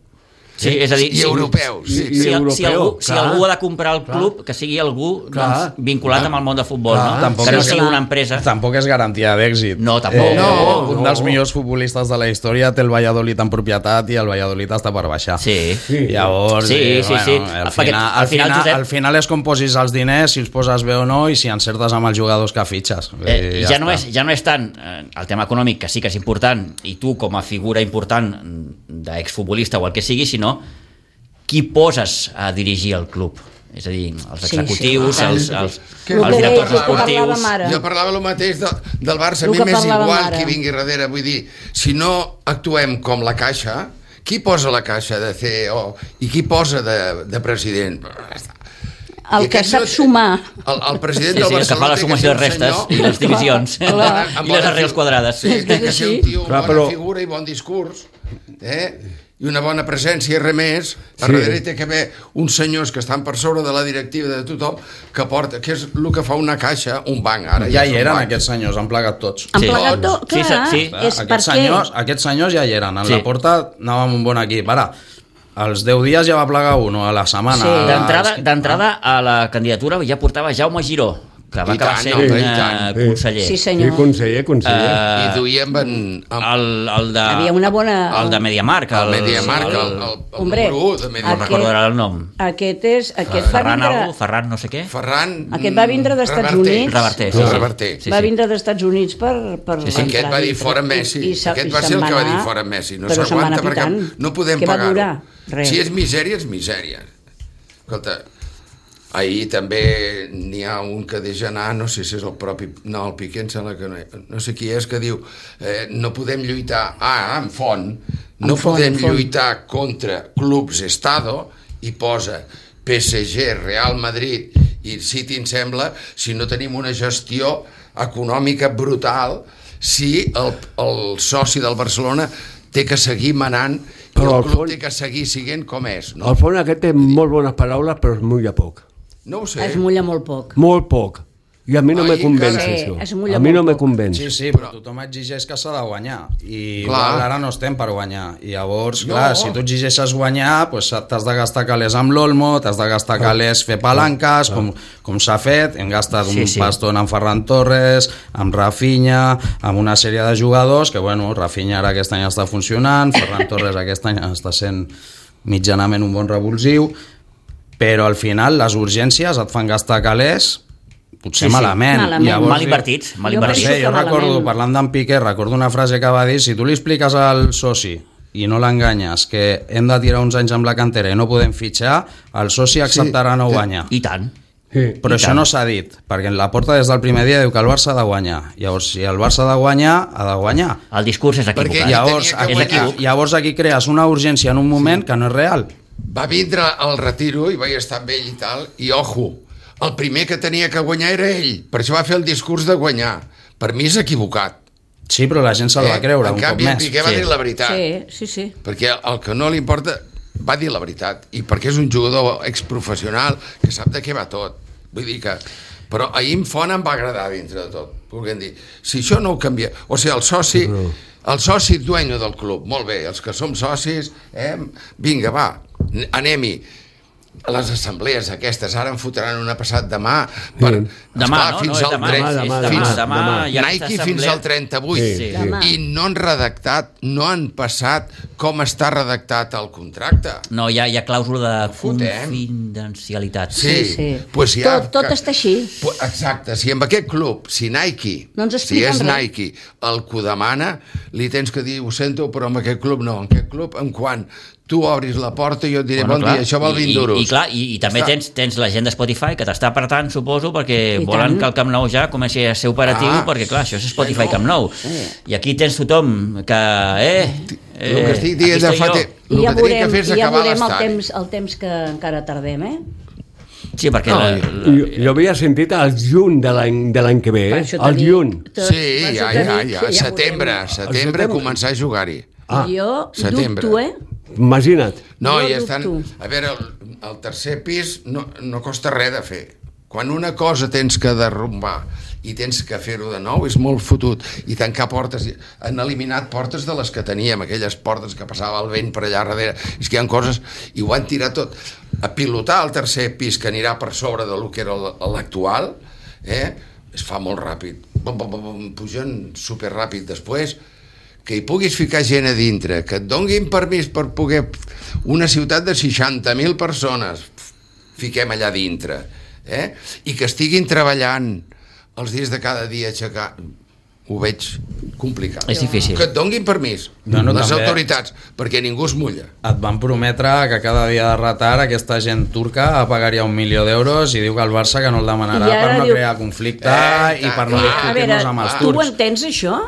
Speaker 1: Sí, és a dir,
Speaker 5: I
Speaker 1: si,
Speaker 5: europeu, sí.
Speaker 4: I-
Speaker 1: si, si,
Speaker 4: europeu,
Speaker 1: si, algú, si
Speaker 4: clar.
Speaker 1: algú ha de comprar el club, que sigui algú
Speaker 4: Clar.
Speaker 1: doncs, vinculat amb el món de futbol,
Speaker 4: Clar.
Speaker 1: no?
Speaker 3: Tampoc
Speaker 1: que no
Speaker 3: és-
Speaker 1: sigui una empresa.
Speaker 3: Tampoc és garantia d'èxit.
Speaker 1: No, tampoc.
Speaker 5: No,
Speaker 3: un dels millors futbolistes de la història té el Valladolid en propietat i el Valladolid està per baixar.
Speaker 1: Sí.
Speaker 4: Sí.
Speaker 3: Llavors,
Speaker 1: Sí,
Speaker 3: eh,
Speaker 1: sí,
Speaker 3: bueno,
Speaker 1: sí.
Speaker 3: Al,
Speaker 1: Perquè
Speaker 3: final,
Speaker 1: al
Speaker 3: al,
Speaker 1: final,
Speaker 3: final,
Speaker 1: Josep-
Speaker 3: al final és com posis els diners, si els poses bé o no, i si encertes amb els jugadors que fitxes.
Speaker 1: Eh,
Speaker 3: I
Speaker 1: ja, no
Speaker 3: està.
Speaker 1: és, ja no és tant eh, el tema econòmic, que sí que és important, i tu com a figura important d'exfutbolista o el que sigui, sinó qui poses a dirigir el club. És a dir, els
Speaker 2: Sí,
Speaker 1: executius,
Speaker 2: sí,
Speaker 1: els,
Speaker 2: tant.
Speaker 1: els,
Speaker 5: Que-
Speaker 1: els
Speaker 2: El que
Speaker 1: directors
Speaker 2: deia, el que
Speaker 1: esportius...
Speaker 2: parlàvem ara.
Speaker 5: Jo parlava el mateix de, del Barça, a
Speaker 2: El
Speaker 5: mi
Speaker 2: que
Speaker 5: m'és
Speaker 2: parlàvem
Speaker 5: igual
Speaker 2: ara.
Speaker 5: qui vingui darrere, vull dir, si no actuem com la Caixa, qui posa la Caixa de C E O i qui posa de, de president?
Speaker 2: El
Speaker 5: I
Speaker 2: que
Speaker 5: aquest
Speaker 2: sap
Speaker 5: no-
Speaker 2: sumar.
Speaker 5: El, el president
Speaker 1: Sí,
Speaker 5: del
Speaker 1: sí, el que
Speaker 5: Barcelona
Speaker 1: fa la
Speaker 5: té
Speaker 1: sumació
Speaker 5: ser
Speaker 1: de
Speaker 5: un
Speaker 1: restes
Speaker 5: senyor
Speaker 1: i les divisions
Speaker 2: Clar.
Speaker 5: amb
Speaker 1: i les
Speaker 5: bona
Speaker 1: arrels
Speaker 5: fi-
Speaker 1: quadrades.
Speaker 5: Sí, té que ser un tio amb
Speaker 4: Clar,
Speaker 5: bona
Speaker 4: però-
Speaker 5: figura i bon discurs, eh? I una bona presència i res més. A
Speaker 4: Sí.
Speaker 5: darrere té que haver uns senyors que estan per sobre de la directiva de tothom, que porta, que és el que fa una caixa, un banc, ara.
Speaker 3: Ja
Speaker 5: és
Speaker 3: hi
Speaker 5: un
Speaker 3: eren
Speaker 5: banc.
Speaker 3: aquests senyors, han plegat tots.
Speaker 2: Han
Speaker 1: Sí.
Speaker 2: plegat tot,
Speaker 1: Sí,
Speaker 2: clar,
Speaker 1: sí,
Speaker 3: Clar,
Speaker 2: és
Speaker 3: aquests,
Speaker 2: perquè...
Speaker 3: senyors, aquests senyors ja hi eren. En
Speaker 1: Sí.
Speaker 3: la porta anàvem un bon equip. Ara, als deu dies ja va plegar un, a la setmana.
Speaker 2: Sí.
Speaker 3: a la-
Speaker 1: D'entrada d'entrada a la candidatura ja portava Jaume Giró, que va
Speaker 5: I
Speaker 1: acabar
Speaker 5: tant,
Speaker 1: sent
Speaker 5: home, i
Speaker 1: eh,
Speaker 5: tant.
Speaker 1: conseller.
Speaker 2: Sí,
Speaker 4: Sí,
Speaker 2: senyor.
Speaker 4: conseller, conseller.
Speaker 1: Eh,
Speaker 5: I duia amb, en, amb
Speaker 1: el, el de...
Speaker 2: Havia una bona-
Speaker 1: El de Mediamarkt.
Speaker 5: el Mediamarkt, el, el, el,
Speaker 2: Hombre,
Speaker 5: número u de
Speaker 1: No
Speaker 5: Mediamarkt.
Speaker 2: aquest-
Speaker 1: recordo ara el nom.
Speaker 2: Aquest, és, aquest va
Speaker 1: Ferran
Speaker 2: vindre...
Speaker 1: algú, Ferran no sé què.
Speaker 5: Ferran...
Speaker 2: Aquest va vindre dels Estats
Speaker 5: Reverter.
Speaker 2: Units.
Speaker 1: Reverter, sí,
Speaker 5: No,
Speaker 1: sí.
Speaker 5: Reverter.
Speaker 1: Sí,
Speaker 2: va
Speaker 1: sí.
Speaker 2: vindre dels Estats Units per... per
Speaker 1: Sí, sí.
Speaker 2: entrar
Speaker 5: Aquest va dir
Speaker 2: dintre.
Speaker 5: fora Messi.
Speaker 2: se-
Speaker 5: Aquest va
Speaker 2: se'n
Speaker 5: ser el que va dir
Speaker 2: anar,
Speaker 5: fora Messi. No
Speaker 2: però se'n va
Speaker 5: s'aguanta
Speaker 2: anar
Speaker 5: perquè
Speaker 2: pitant.
Speaker 5: no podem
Speaker 2: Què va
Speaker 5: pagar-ho.
Speaker 2: durar? Res.
Speaker 5: Si és misèria, és misèria. Escolta, ahir també n'hi ha un que deixa anar, no sé si és el propi... No, el Piqué em sembla que no, no sé qui és, que diu eh, no podem lluitar... Ah, en Font. No
Speaker 2: En Font,
Speaker 5: podem
Speaker 2: en Font.
Speaker 5: lluitar contra clubs Estado i posa P S G, Real Madrid i City, em sembla, si no tenim una gestió econòmica brutal, si el, el soci del Barcelona té que seguir manant i
Speaker 4: Però
Speaker 5: el
Speaker 4: al
Speaker 5: club
Speaker 4: fons-
Speaker 5: té que seguir sent com és. No,
Speaker 4: Al fons aquest té molt bones paraules, però es mulla poc.
Speaker 5: no ho sé.
Speaker 2: Es mulla molt poc.
Speaker 4: Molt poc. I a mi no
Speaker 5: Ai,
Speaker 4: me convenç,
Speaker 5: encara-
Speaker 4: això.
Speaker 2: Sí, es mulla
Speaker 4: A mi no
Speaker 2: molt
Speaker 4: me
Speaker 2: poc.
Speaker 4: convenç.
Speaker 3: Sí, sí, però tothom exigeix que s'ha de guanyar i
Speaker 5: Clar.
Speaker 3: igual ara no estem per guanyar i llavors,
Speaker 5: No.
Speaker 3: clar, si tu exigeixes guanyar pues, t'has de gastar calés amb l'Olmo, t'has de gastar calés fer palanques, com, com s'ha fet, hem gastat
Speaker 1: Sí,
Speaker 3: un
Speaker 1: sí.
Speaker 3: pastón amb Ferran Torres, amb Rafinha, amb una sèrie de jugadors que, bueno, Rafinha ara aquest any està funcionant, Ferran Torres aquest any està sent mitjanament un bon revulsiu, però al final les urgències et fan gastar calés potser
Speaker 1: Sí, sí.
Speaker 3: malament.
Speaker 2: Malament.
Speaker 3: Llavors,
Speaker 1: Mal invertits, mal
Speaker 2: Jo
Speaker 3: no
Speaker 2: penso
Speaker 1: invertits.
Speaker 3: sé,
Speaker 2: que
Speaker 3: jo recordo,
Speaker 2: malament.
Speaker 3: parlant d'en Piqué, recordo una frase que va dir, si tu li expliques al soci i no l'enganyes que hem de tirar uns anys amb la cantera i no podem fitxar, el soci acceptarà no guanyar.
Speaker 1: I tant.
Speaker 4: Sí.
Speaker 3: Però
Speaker 1: I
Speaker 3: això
Speaker 1: tant.
Speaker 3: no s'ha dit, perquè la Porta des del primer dia diu que el Barça ha de guanyar. Llavors, si el Barça ha de guanyar, ha de guanyar.
Speaker 1: El discurs és equivocat.
Speaker 5: Perquè
Speaker 3: Llavors,
Speaker 5: tenia que
Speaker 3: aquí,
Speaker 1: guanyar.
Speaker 3: llavors aquí crees una urgència en un moment que no és real.
Speaker 5: Va vindre al retiro i vaig estar amb ell i tal, i ojo, el primer que tenia que guanyar era ell, per això va fer el discurs de guanyar. Per mi és equivocat.
Speaker 3: Sí, però la gent se'l va creure
Speaker 5: en
Speaker 3: un
Speaker 5: canvi,
Speaker 3: cop
Speaker 5: en
Speaker 3: més.
Speaker 5: Piqué va
Speaker 1: Sí.
Speaker 5: dir la veritat.
Speaker 2: Sí, sí, sí.
Speaker 5: Perquè el que no li importa va dir la veritat, i perquè és un jugador exprofessional que sap de què va tot. Vull dir que... Però ahir en Font em va agradar dintre de tot. Volguem dir, si això no ho canvia... O sigui, el soci, el soci dueño del club, molt bé, els que som socis, eh, vinga, va, anem-hi. Les assemblees aquestes ara en fotran una passat demà per,
Speaker 1: Demà,
Speaker 5: esclar,
Speaker 1: no?
Speaker 5: fins
Speaker 1: No és
Speaker 5: al
Speaker 1: demà,
Speaker 5: tre-
Speaker 1: és
Speaker 4: demà,
Speaker 1: demà,
Speaker 5: fins-
Speaker 1: demà, hi ha aquesta
Speaker 5: Nike fins
Speaker 1: assemblea.
Speaker 5: al trenta-vuit
Speaker 4: Sí,
Speaker 2: Demà.
Speaker 5: i no han redactat, no han passat com està redactat el contracte.
Speaker 1: No, hi ha, hi ha clàusula de
Speaker 5: Fotem.
Speaker 1: confidencialitat.
Speaker 5: Sí,
Speaker 2: Sí, sí.
Speaker 5: Pues si ha,
Speaker 2: Tot- tot està així.
Speaker 5: Pu- Exacte, si amb aquest club, si Nike,
Speaker 2: No ens
Speaker 5: si
Speaker 2: expliquen
Speaker 5: és
Speaker 2: res.
Speaker 5: Nike el que ho demana, li tens que dir, ho sento, però amb aquest club no. En aquest club, en quan tu obris la porta, jo et diré, bon dia, això val vint
Speaker 1: I,
Speaker 5: duros.
Speaker 1: i, i, clar, i, i també
Speaker 5: Està.
Speaker 1: tens, tens la gent de Spotify que t'està apretant, suposo, perquè
Speaker 2: I
Speaker 1: volen
Speaker 2: tant.
Speaker 1: que el Camp Nou ja comenci a ser operatiu,
Speaker 5: Ah,
Speaker 1: perquè clar, això és Spotify
Speaker 5: bueno.
Speaker 1: Camp Nou. I aquí tens tothom que, eh, eh
Speaker 5: El que estic dient
Speaker 1: aquí
Speaker 5: de
Speaker 1: estoy
Speaker 5: fa
Speaker 1: jo.
Speaker 5: temps.
Speaker 2: I
Speaker 5: El
Speaker 2: ja
Speaker 5: que tenia
Speaker 2: veurem,
Speaker 5: que fer és
Speaker 2: i ja
Speaker 5: acabar
Speaker 2: veurem el
Speaker 5: l'estadi.
Speaker 2: temps, el temps que encara tardem, eh?
Speaker 1: Sí, perquè
Speaker 5: No,
Speaker 1: la,
Speaker 5: i-
Speaker 1: la,
Speaker 4: Jo, jo havia sentit al juny de l'any de l'any que ve,
Speaker 2: Per
Speaker 4: eh?
Speaker 2: això t'he
Speaker 4: Al
Speaker 2: dit-
Speaker 4: juny.
Speaker 2: t'he-
Speaker 5: Sí,
Speaker 2: per
Speaker 5: ja,
Speaker 2: això t'he
Speaker 5: ja,
Speaker 2: dit
Speaker 5: ja.
Speaker 2: que
Speaker 5: Setembre,
Speaker 2: veurem.
Speaker 5: setembre
Speaker 4: setembre.
Speaker 5: començar a jugar-hi.
Speaker 4: Ah.
Speaker 2: Jo
Speaker 5: Setembre.
Speaker 2: dubto, eh?
Speaker 4: Imagina't.
Speaker 5: No,
Speaker 2: Jo
Speaker 5: i estan...
Speaker 2: dubto.
Speaker 5: A veure, el, el tercer pis no, no costa res de fer. Quan una cosa tens que derrumbar i tens que fer-ho de nou, és molt fotut. I tancar portes... Han eliminat portes de les que teníem, aquelles portes que passava el vent per allà darrere. És que hi ha coses... I ho han tirat tot. A pilotar el tercer pis, que anirà per sobre de lo que era l'actual, eh? Es fa molt ràpid. Bum, bum, bum, bum, pugen superràpid. Després, que hi puguis ficar gent a dintre, que et donguin permís per poder... Una ciutat de seixanta mil persones, fiquem allà dintre, eh? I que estiguin treballant els dies de cada dia aixecar... Ho veig complicat.
Speaker 1: És difícil.
Speaker 5: Que et donguin permís,
Speaker 3: Bueno,
Speaker 5: les
Speaker 3: també-
Speaker 5: autoritats, perquè ningú es mulla.
Speaker 3: Et van prometre que cada dia de retard aquesta gent turca pagaria un milió d'euros i diu que el Barça que no el demanarà
Speaker 2: I ara
Speaker 3: per no
Speaker 2: diu-
Speaker 3: crear conflicte
Speaker 5: Eh,
Speaker 3: i per no
Speaker 5: clar.
Speaker 2: A veure,
Speaker 3: discutir-nos amb els
Speaker 2: tu ho
Speaker 3: turcs.
Speaker 2: entens, això?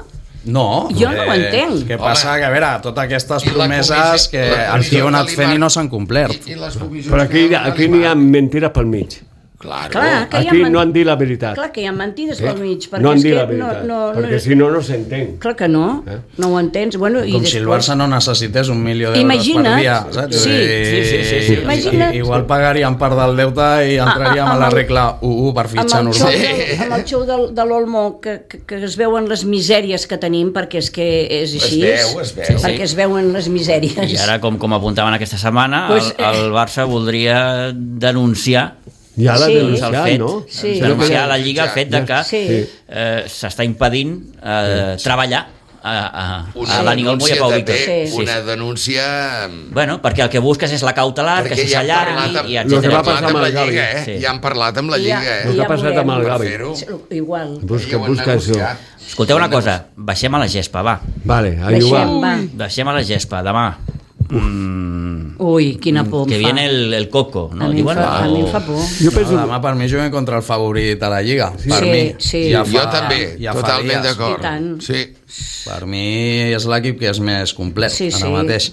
Speaker 3: No.
Speaker 2: Jo no ho entenc.
Speaker 3: Què passa?
Speaker 5: Home.
Speaker 3: Que a veure, totes aquestes
Speaker 5: I la
Speaker 3: promeses
Speaker 5: comissió-
Speaker 3: que
Speaker 5: la
Speaker 3: el
Speaker 5: comissió
Speaker 3: tio ha anat
Speaker 5: de
Speaker 3: fent i
Speaker 5: l'I M A
Speaker 3: no s'han complert.
Speaker 5: I, i les comissions
Speaker 4: Però aquí,
Speaker 5: que
Speaker 4: aquí n'hi ha mentira pel mig.
Speaker 5: Claro.
Speaker 2: Clar, que hi ha
Speaker 4: Aquí
Speaker 2: men-
Speaker 4: no han dit la veritat.
Speaker 2: Clar que hi ha mentides pel mig. perquè
Speaker 4: No han
Speaker 2: és
Speaker 4: dit
Speaker 2: que
Speaker 4: la veritat,
Speaker 2: no, no,
Speaker 4: perquè
Speaker 2: no,
Speaker 4: si no, no s'entén.
Speaker 2: Clar que no,
Speaker 4: Eh?
Speaker 2: no ho entens. Bueno, i
Speaker 3: Com
Speaker 2: després...
Speaker 3: si el Barça no necessités un milió d'euros
Speaker 2: Imagina't.
Speaker 3: per dia, saps?
Speaker 2: Sí.
Speaker 3: I-
Speaker 1: Sí, sí, sí, sí.
Speaker 3: i-
Speaker 2: Imagina't.
Speaker 3: i- Igual pagaríem part del deute i entraríem
Speaker 2: Ah, ah,
Speaker 3: a la
Speaker 2: amb el-
Speaker 3: regla u u per
Speaker 2: Amb
Speaker 3: fitxar
Speaker 2: el, xou
Speaker 3: normal.
Speaker 2: del, amb el xou del, de l'Olmo que, que, que es veuen les misèries que tenim, perquè és que és
Speaker 5: Es
Speaker 2: així.
Speaker 5: veu, es veu.
Speaker 2: Sí, perquè es veuen les misèries.
Speaker 1: I ara, com, com apuntaven aquesta setmana,
Speaker 2: Pues,
Speaker 1: el, el Barça voldria denunciar
Speaker 4: Ja l'ha
Speaker 2: Sí.
Speaker 4: denunciat,
Speaker 1: el fet,
Speaker 4: no?
Speaker 2: Sí.
Speaker 1: denunciar a la Lliga el fet de que
Speaker 2: Sí.
Speaker 1: eh, s'està impedint eh, treballar a, a,
Speaker 5: Una
Speaker 1: a Dani Olmo i a
Speaker 5: denúncia
Speaker 1: Pau
Speaker 5: també,
Speaker 1: Víctor.
Speaker 2: Sí.
Speaker 5: una denúncia...
Speaker 1: Bueno, perquè el que busques és la cautelar,
Speaker 5: Perquè
Speaker 1: que
Speaker 5: ja han parlat
Speaker 1: s'allargui
Speaker 5: amb,
Speaker 1: i
Speaker 4: Lo que
Speaker 5: ja han
Speaker 1: etcètera.
Speaker 4: va
Speaker 5: parlat
Speaker 4: passar
Speaker 5: amb
Speaker 4: amb
Speaker 5: la
Speaker 4: el Gavi.
Speaker 5: Lliga, eh?
Speaker 1: Sí.
Speaker 5: Ja han parlat amb la
Speaker 2: I ja-
Speaker 5: Lliga,
Speaker 2: i
Speaker 4: El
Speaker 5: eh?
Speaker 4: que ha passat amb el
Speaker 5: Per
Speaker 4: Gavi.
Speaker 5: fer-ho.
Speaker 2: Igual.
Speaker 4: Busca,
Speaker 5: Ja ho han
Speaker 4: busca això.
Speaker 5: negociat.
Speaker 1: Escolteu una cosa, baixem a la gespa, va.
Speaker 4: Vale, a
Speaker 2: Deixem,
Speaker 4: jugar.
Speaker 2: va.
Speaker 1: Baixem a la gespa, demà. Mm,
Speaker 2: Ui, quina por em
Speaker 1: que
Speaker 2: fa.
Speaker 1: viene el, el Coco,
Speaker 2: A
Speaker 1: no?
Speaker 2: mi, em
Speaker 1: Diuen,
Speaker 2: fa, a mi em
Speaker 1: o-
Speaker 2: fa por.
Speaker 4: Jo penso...
Speaker 3: No, demà per mi juguen contra el favorit a la Lliga. Per
Speaker 2: Sí,
Speaker 3: mi.
Speaker 2: sí.
Speaker 3: Ja
Speaker 5: Jo
Speaker 3: fa-
Speaker 5: també,
Speaker 3: ja fa
Speaker 5: totalment
Speaker 3: dies.
Speaker 5: d'acord.
Speaker 2: I tant.
Speaker 5: Sí.
Speaker 3: Per mi és l'equip que és més complet
Speaker 2: Sí,
Speaker 3: ara
Speaker 2: sí.
Speaker 3: mateix.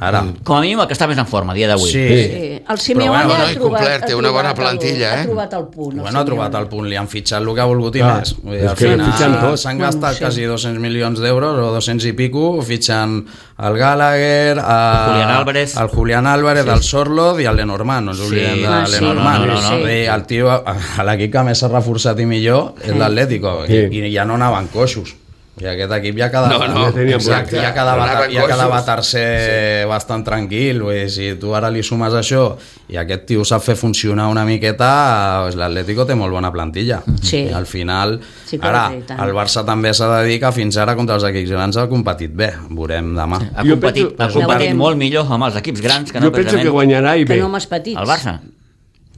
Speaker 3: Ara,
Speaker 1: Com a mínim el que està més en forma a dia d'avui.
Speaker 3: sí.
Speaker 2: Sí. El Simeone
Speaker 3: Però bueno,
Speaker 2: ha
Speaker 5: no, i
Speaker 2: trobat,
Speaker 5: complet, té
Speaker 2: ha
Speaker 5: una
Speaker 2: trobat
Speaker 5: bona
Speaker 2: el-
Speaker 5: plantilla, eh?
Speaker 2: Ha trobat el punt. el
Speaker 3: Bueno, ha trobat
Speaker 2: Simeone.
Speaker 3: el punt, li han fitxat el que ha volgut i
Speaker 4: Clar,
Speaker 3: més. Vull dir,
Speaker 4: és
Speaker 3: al
Speaker 4: que
Speaker 3: final
Speaker 4: fitxen tot.
Speaker 3: s'han
Speaker 2: Bueno,
Speaker 3: gastat
Speaker 2: sí.
Speaker 3: quasi dos-cents milions d'euros o dos-cents i pico fitxant el Gallagher, a,
Speaker 1: Julián Álvarez.
Speaker 3: el Julián Álvarez,
Speaker 1: Sí.
Speaker 3: el Sorloth i el Lenormand, no ens
Speaker 1: Sí.
Speaker 3: oblidem de
Speaker 2: Ah, sí.
Speaker 3: Lenormand.
Speaker 1: No, no, no,
Speaker 2: no.
Speaker 3: I el tio, a l'equip que més s'ha reforçat i millor és l'Atlético,
Speaker 4: Sí.
Speaker 3: i, i ja no anaven coixos. I aquest equip ja quedava,
Speaker 5: No, no,
Speaker 4: Ja teníem
Speaker 5: exacte.
Speaker 3: ja quedava,
Speaker 5: Anaven
Speaker 3: ja quedava
Speaker 5: coixos.
Speaker 3: tercer bastant tranquil. Vull dir, si tu ara li sumes això i aquest tio sap fer funcionar una miqueta, doncs l'Atlético té molt bona plantilla.
Speaker 2: Sí.
Speaker 3: I al final,
Speaker 2: Sí que
Speaker 3: ara,
Speaker 2: ho té, i tant.
Speaker 3: el Barça també s'ha de dir que fins ara contra els equips grans ha competit bé. Veurem demà.
Speaker 1: Ha
Speaker 4: Jo
Speaker 1: competit,
Speaker 4: penso-
Speaker 1: ha competit
Speaker 2: Veurem.
Speaker 1: molt millor amb els equips grans que no
Speaker 4: Jo penso que
Speaker 1: precisament
Speaker 4: guanyarà i
Speaker 2: Que
Speaker 4: bé.
Speaker 2: no m'has petits.
Speaker 1: el Barça.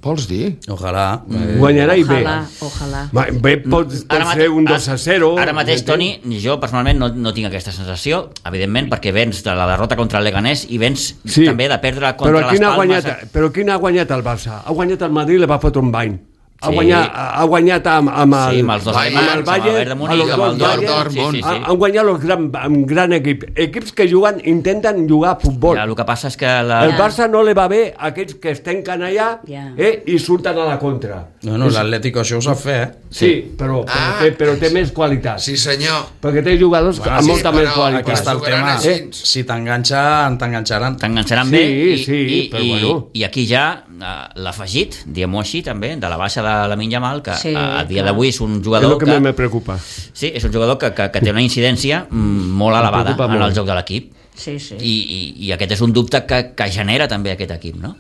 Speaker 5: Vols dir?
Speaker 3: Ojalà. Eh,
Speaker 4: Guanyarà i bé.
Speaker 2: Ojalà, ojalà.
Speaker 4: Va, bé pot, pot
Speaker 1: Ara
Speaker 4: ser
Speaker 1: mate-
Speaker 4: un dos a zero.
Speaker 1: Ara mateix, Toni,
Speaker 4: m'entens?
Speaker 1: jo personalment no, no tinc aquesta sensació, evidentment, perquè vens de la derrota contra el Leganés i vens
Speaker 4: Sí.
Speaker 1: també de perdre
Speaker 4: Però
Speaker 1: contra
Speaker 4: quin
Speaker 1: les
Speaker 4: ha
Speaker 1: Palmes.
Speaker 4: guanyat, però quin ha guanyat el Barça? Ha guanyat el Madrid i li va fotre un bany. Ha,
Speaker 1: Sí.
Speaker 4: guanyat, ha guanyat amb, amb, el,
Speaker 1: Sí, amb els dos
Speaker 5: Bayern,
Speaker 1: alemanys,
Speaker 5: amb
Speaker 1: amb el
Speaker 4: Bayern,
Speaker 1: Bayern de Múnich,
Speaker 4: amb
Speaker 1: amb el
Speaker 4: el Dortmund.
Speaker 1: Dortmund. Sí, sí,
Speaker 4: Ha-
Speaker 1: sí.
Speaker 4: Han guanyat el gran, amb gran equip. Equips que juguen, intenten jugar a futbol.
Speaker 1: Ja, el que passa és que la...
Speaker 4: El
Speaker 2: Ja.
Speaker 4: Barça no li va bé a aquests que es tanquen allà
Speaker 2: Ja.
Speaker 4: eh, i surten a la contra.
Speaker 3: Bueno, l'Atlético això ho sap fer, eh?
Speaker 4: Sí, però, però,
Speaker 5: Ah.
Speaker 4: té, però té més qualitat.
Speaker 5: Sí, senyor.
Speaker 4: Perquè té jugadors
Speaker 3: Bueno,
Speaker 4: amb
Speaker 3: sí,
Speaker 4: molta
Speaker 5: però
Speaker 4: més qualitat.
Speaker 3: Aquí està el
Speaker 5: jugaran
Speaker 3: tema.
Speaker 5: així.
Speaker 3: Eh? Si t'enganxen, t'enganxaran.
Speaker 1: T'enganxaran
Speaker 4: Sí,
Speaker 1: bé i,
Speaker 4: sí,
Speaker 1: i,
Speaker 4: però
Speaker 1: i,
Speaker 4: bueno.
Speaker 1: i aquí ja eh, l'afegit, diguem-ho així també, de la baixa de la Yamal, que
Speaker 2: Sí,
Speaker 1: sí, a, a dia
Speaker 2: clar.
Speaker 1: d'avui és un
Speaker 4: És
Speaker 1: jugador
Speaker 4: el que,
Speaker 1: que,
Speaker 4: més me preocupa.
Speaker 1: sí, és un jugador que, que, que té una incidència mm, molt elevada
Speaker 4: preocupa
Speaker 1: en
Speaker 4: molt.
Speaker 1: el joc de l'equip
Speaker 2: Sí, sí.
Speaker 1: I, i, i aquest és un dubte que, que genera també aquest equip, no?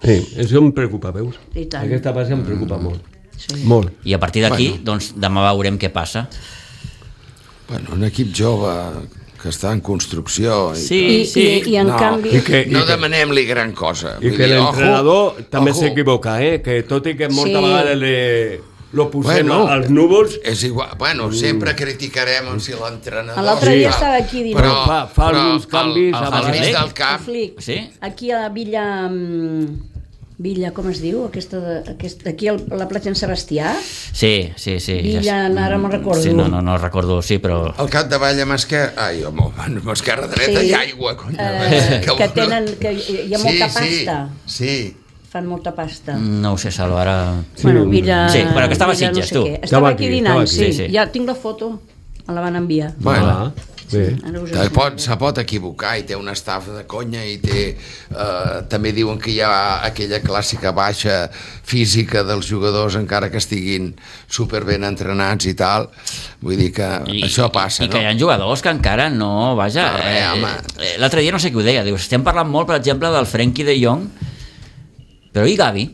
Speaker 4: Sí, això em preocupa, veus?
Speaker 2: I tant.
Speaker 4: Aquesta base em preocupa molt.
Speaker 2: sí.
Speaker 4: Molt.
Speaker 1: I a partir d'aquí,
Speaker 5: Bueno.
Speaker 1: doncs demà veurem què passa.
Speaker 5: Bueno, un equip jove que està en construcció. I
Speaker 1: Sí,
Speaker 2: I,
Speaker 1: sí.
Speaker 2: i, i en
Speaker 5: No.
Speaker 2: canvi...
Speaker 4: I que,
Speaker 5: No
Speaker 4: i que,
Speaker 5: demanem-li gran cosa.
Speaker 4: i
Speaker 5: Vull
Speaker 4: que
Speaker 5: dir,
Speaker 4: l'entrenador
Speaker 5: ojo,
Speaker 4: també
Speaker 5: ojo.
Speaker 4: s'equivoca, eh? Que tot i que moltes
Speaker 2: Sí.
Speaker 4: vegades le, lo posem
Speaker 5: Bueno,
Speaker 4: als núvols,
Speaker 5: És igual. Bueno, sempre criticarem si l'entrenador...
Speaker 2: L'altre dia
Speaker 5: Sí.
Speaker 2: estava aquí dient-
Speaker 5: Però,
Speaker 4: Fa- fa
Speaker 5: però
Speaker 4: alguns canvis
Speaker 5: al,
Speaker 1: a
Speaker 5: al mig
Speaker 1: vegades.
Speaker 5: del camp...
Speaker 2: Flic.
Speaker 1: Sí?
Speaker 2: Aquí a la Villa... mm, Villa, com es diu? Aquesta, de- aquesta, aquí a la platja en Sebastià?
Speaker 1: Sí, sí, sí.
Speaker 2: Villa, ara me'n recordo.
Speaker 1: Sí, no, no, no recordo, sí, però...
Speaker 5: Al capdavall amb esquerra... Ai, home, amb esquerra dreta
Speaker 2: Sí.
Speaker 5: i aigua, cony.
Speaker 2: Eh, que tenen... Que hi ha molta
Speaker 5: sí,
Speaker 2: pasta.
Speaker 5: Sí, sí.
Speaker 2: Fan molta pasta.
Speaker 1: No ho sé, Salva, ara...
Speaker 2: Bueno, Villa...
Speaker 1: Sí, però que estava a
Speaker 2: Villa
Speaker 1: Sitges,
Speaker 2: sé
Speaker 1: tu.
Speaker 2: què.
Speaker 4: Estava
Speaker 2: Estava
Speaker 4: aquí,
Speaker 2: aquí
Speaker 4: estava
Speaker 2: dinant,
Speaker 4: aquí.
Speaker 2: sí.
Speaker 1: Sí, sí.
Speaker 2: Ja tinc la foto, me la van enviar.
Speaker 5: Bueno,
Speaker 4: ah, bé.
Speaker 2: Ara us
Speaker 5: Se
Speaker 2: explico.
Speaker 5: pot, se pot equivocar i té una estafa de conya i té, eh, també diuen que hi ha aquella clàssica baixa física dels jugadors encara que estiguin superben entrenats i tal, vull dir que
Speaker 1: I,
Speaker 5: això passa,
Speaker 1: i que hi
Speaker 5: no?
Speaker 1: ha jugadors que encara no... Vaja,
Speaker 5: No, res, home.
Speaker 1: eh, l'altre dia no sé qui ho deia, diu, estem parlant molt, per exemple, del Frenkie de Jong, però i Gavi?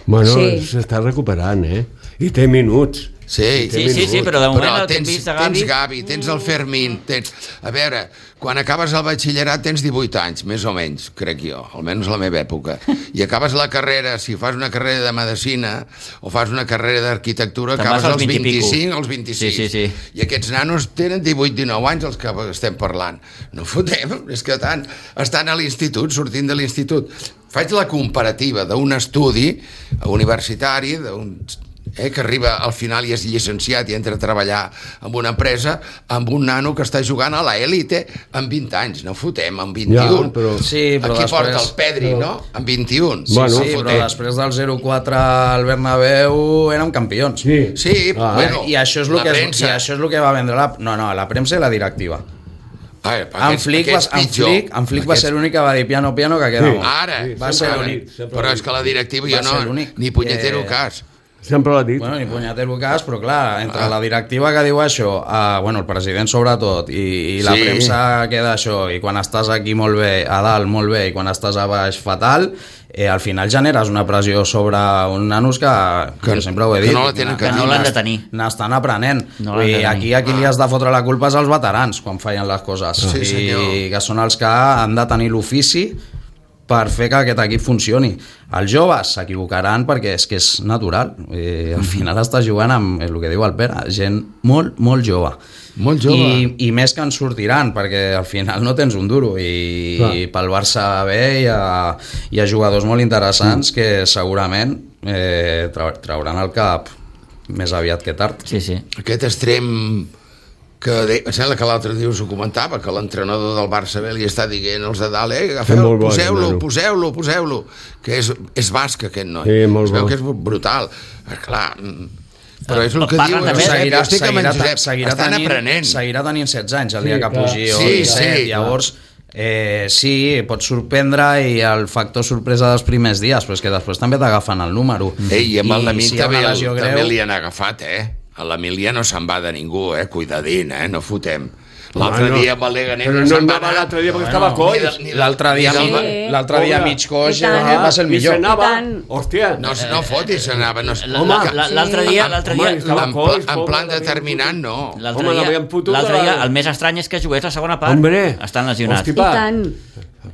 Speaker 4: Bueno,
Speaker 2: Sí.
Speaker 4: s'està recuperant, eh? I té minuts.
Speaker 5: Sí,
Speaker 1: Sí, sí, sí, però de moment el que hem
Speaker 5: tens,
Speaker 1: vist de Gavi...
Speaker 5: tens Gavi, tens el Fermín, tens... A veure, quan acabes el batxillerat tens divuit anys, més o menys, crec jo, almenys la meva època. I acabes la carrera, si fas una carrera de medicina o fas una carrera d'arquitectura,
Speaker 1: Te'n
Speaker 5: acabes
Speaker 1: vas als
Speaker 5: als
Speaker 1: vint i pico.
Speaker 5: vint-i-cinc, als vint-i-sis.
Speaker 1: Sí, sí, sí.
Speaker 5: I aquests nanos tenen divuit dinou anys, els que estem parlant. No fotem, és que tant, estan a l'institut, sortint de l'institut. Faig la comparativa d'un estudi universitari, d'un eh, que arriba al final i és llicenciat i entra a treballar en una empresa amb un nano que està jugant a l'élite amb vint anys, no fotem, amb vint-i-un.
Speaker 4: Ja, però-
Speaker 3: Sí, però
Speaker 5: Aquí
Speaker 3: després-
Speaker 5: porta el Pedri, no? Amb vint-i-un.
Speaker 3: Sí,
Speaker 4: Bueno,
Speaker 3: sí,
Speaker 5: no
Speaker 3: però
Speaker 5: fotem.
Speaker 3: després del zero quatre al Bernabéu érem campions.
Speaker 4: Sí.
Speaker 5: Sí,
Speaker 4: Ah,
Speaker 5: bueno,
Speaker 3: I això és el
Speaker 5: la
Speaker 3: que, és, i
Speaker 5: premsa.
Speaker 3: això és el que va vendre la... No, no, la premsa i la directiva.
Speaker 5: Ai,
Speaker 3: En
Speaker 5: aquests-
Speaker 3: Flick, va,
Speaker 5: aquests
Speaker 3: en
Speaker 5: pitjor.
Speaker 3: Flick, en Flick va
Speaker 5: Aquests-
Speaker 3: ser l'únic que va dir piano, piano, que queda
Speaker 4: Sí.
Speaker 3: molt.
Speaker 5: Ara,
Speaker 4: Sí,
Speaker 3: va
Speaker 5: sempre
Speaker 3: ser
Speaker 5: l'ha
Speaker 3: l'únic,
Speaker 5: dit.
Speaker 4: sempre
Speaker 5: Però
Speaker 4: l'ha
Speaker 5: és que la directiva
Speaker 3: Va
Speaker 5: jo
Speaker 3: ser
Speaker 5: no,
Speaker 3: l'únic.
Speaker 5: ni punyetero
Speaker 3: Eh,
Speaker 5: cas.
Speaker 4: Sempre l'ha dit.
Speaker 3: Bueno, ni punyetero cas, però clar, entre la directiva que diu això, uh, bueno, el president sobretot, i, i la
Speaker 5: Sí.
Speaker 3: premsa queda això, i quan estàs aquí molt bé, a dalt molt bé, i quan estàs a baix fatal, eh, al final generes una pressió sobre uns nanos que, que,
Speaker 5: Que-
Speaker 3: jo sempre ho he
Speaker 5: que
Speaker 3: dit,
Speaker 5: no la tenen
Speaker 1: que no l'han de tenir.
Speaker 3: n'estan aprenent.
Speaker 1: No
Speaker 3: No
Speaker 1: l'han de
Speaker 3: I
Speaker 1: tenir.
Speaker 3: aquí a qui li has de fotre la culpa és als veterans quan fallen les coses.
Speaker 5: Sí,
Speaker 3: I
Speaker 5: senyor.
Speaker 3: que són els que han de tenir l'ofici per fer que aquest equip funcioni. Els joves s'equivocaran perquè és que és natural. Eh, al final estàs jugant amb el que diu el Pere, gent molt, molt jove.
Speaker 5: Molt jove.
Speaker 3: I, I més que en sortiran, perquè al final no tens un duro. I,
Speaker 4: Clar.
Speaker 3: i pel Barça bé hi ha, hi ha jugadors molt interessants que segurament eh, trau, trauran el cap més aviat que tard.
Speaker 1: Sí, sí.
Speaker 5: Aquest extrem que de, em sembla que l'altre dia us ho comentava, que l'entrenador del Barça bé li està dient als de dalt, eh, agafeu,
Speaker 4: molt bo,
Speaker 5: poseu-lo,
Speaker 4: nano.
Speaker 5: poseu-lo, poseu-lo, que és, és basc aquest noi.
Speaker 4: Sí, molt
Speaker 5: es veu
Speaker 4: bo.
Speaker 5: que és brutal. Però, clar, mm, però és el que
Speaker 1: Parlen
Speaker 5: diu,
Speaker 1: també-
Speaker 5: Josep,
Speaker 3: seguirà,
Speaker 5: jo estic amb en
Speaker 3: seguirà,
Speaker 5: Josep,
Speaker 3: seguirà,
Speaker 5: estan
Speaker 3: tenint,
Speaker 5: aprenent.
Speaker 3: seguirà tenint setze anys el dia
Speaker 4: Sí,
Speaker 3: que
Speaker 4: clar.
Speaker 3: pugi o
Speaker 5: Sí,
Speaker 3: disset,
Speaker 5: sí.
Speaker 3: llavors eh, sí, pot sorprendre i el factor sorpresa dels primers dies, però és que després també t'agafen el número.
Speaker 5: Ei, i amb el Lamint
Speaker 3: si hi ha
Speaker 5: també,
Speaker 3: una
Speaker 5: el,
Speaker 3: lesió
Speaker 5: també
Speaker 3: greu,
Speaker 5: li han agafat, eh? A l'Emilià no se'n va de ningú, eh? Cuidadín, eh? No fotem. L'altre
Speaker 4: Bueno,
Speaker 5: dia amb el Leganés
Speaker 4: però
Speaker 5: no
Speaker 4: no
Speaker 5: se'n va
Speaker 4: anava
Speaker 5: anar.
Speaker 4: l'altre dia perquè
Speaker 3: Bueno,
Speaker 4: estava coix.
Speaker 5: Ni de- ni de-
Speaker 3: l'altre dia,
Speaker 5: ni del-
Speaker 2: Sí.
Speaker 3: l'altre dia
Speaker 4: Pobre.
Speaker 3: mig coix
Speaker 2: I tant.
Speaker 3: eh, va ser el
Speaker 4: I
Speaker 3: millor.
Speaker 4: s'anava,
Speaker 2: I tant.
Speaker 4: hòstia.
Speaker 5: No, no fotis, s'anava. No,
Speaker 1: La-
Speaker 4: Home,
Speaker 1: la- la- L'altre dia, l'altre
Speaker 4: Home,
Speaker 1: dia,
Speaker 4: estava
Speaker 5: en,
Speaker 4: coix,
Speaker 5: pla, en
Speaker 4: pobre,
Speaker 5: plan
Speaker 4: l'havien
Speaker 5: determinant, no.
Speaker 1: l'altre
Speaker 4: Home,
Speaker 1: dia,
Speaker 4: l'havien fotut
Speaker 1: l'altre
Speaker 4: a la-
Speaker 1: dia, el més estrany és que jugués la segona part.
Speaker 4: Hombre.
Speaker 1: Estan lesionats.
Speaker 4: Hosti,
Speaker 2: I tant.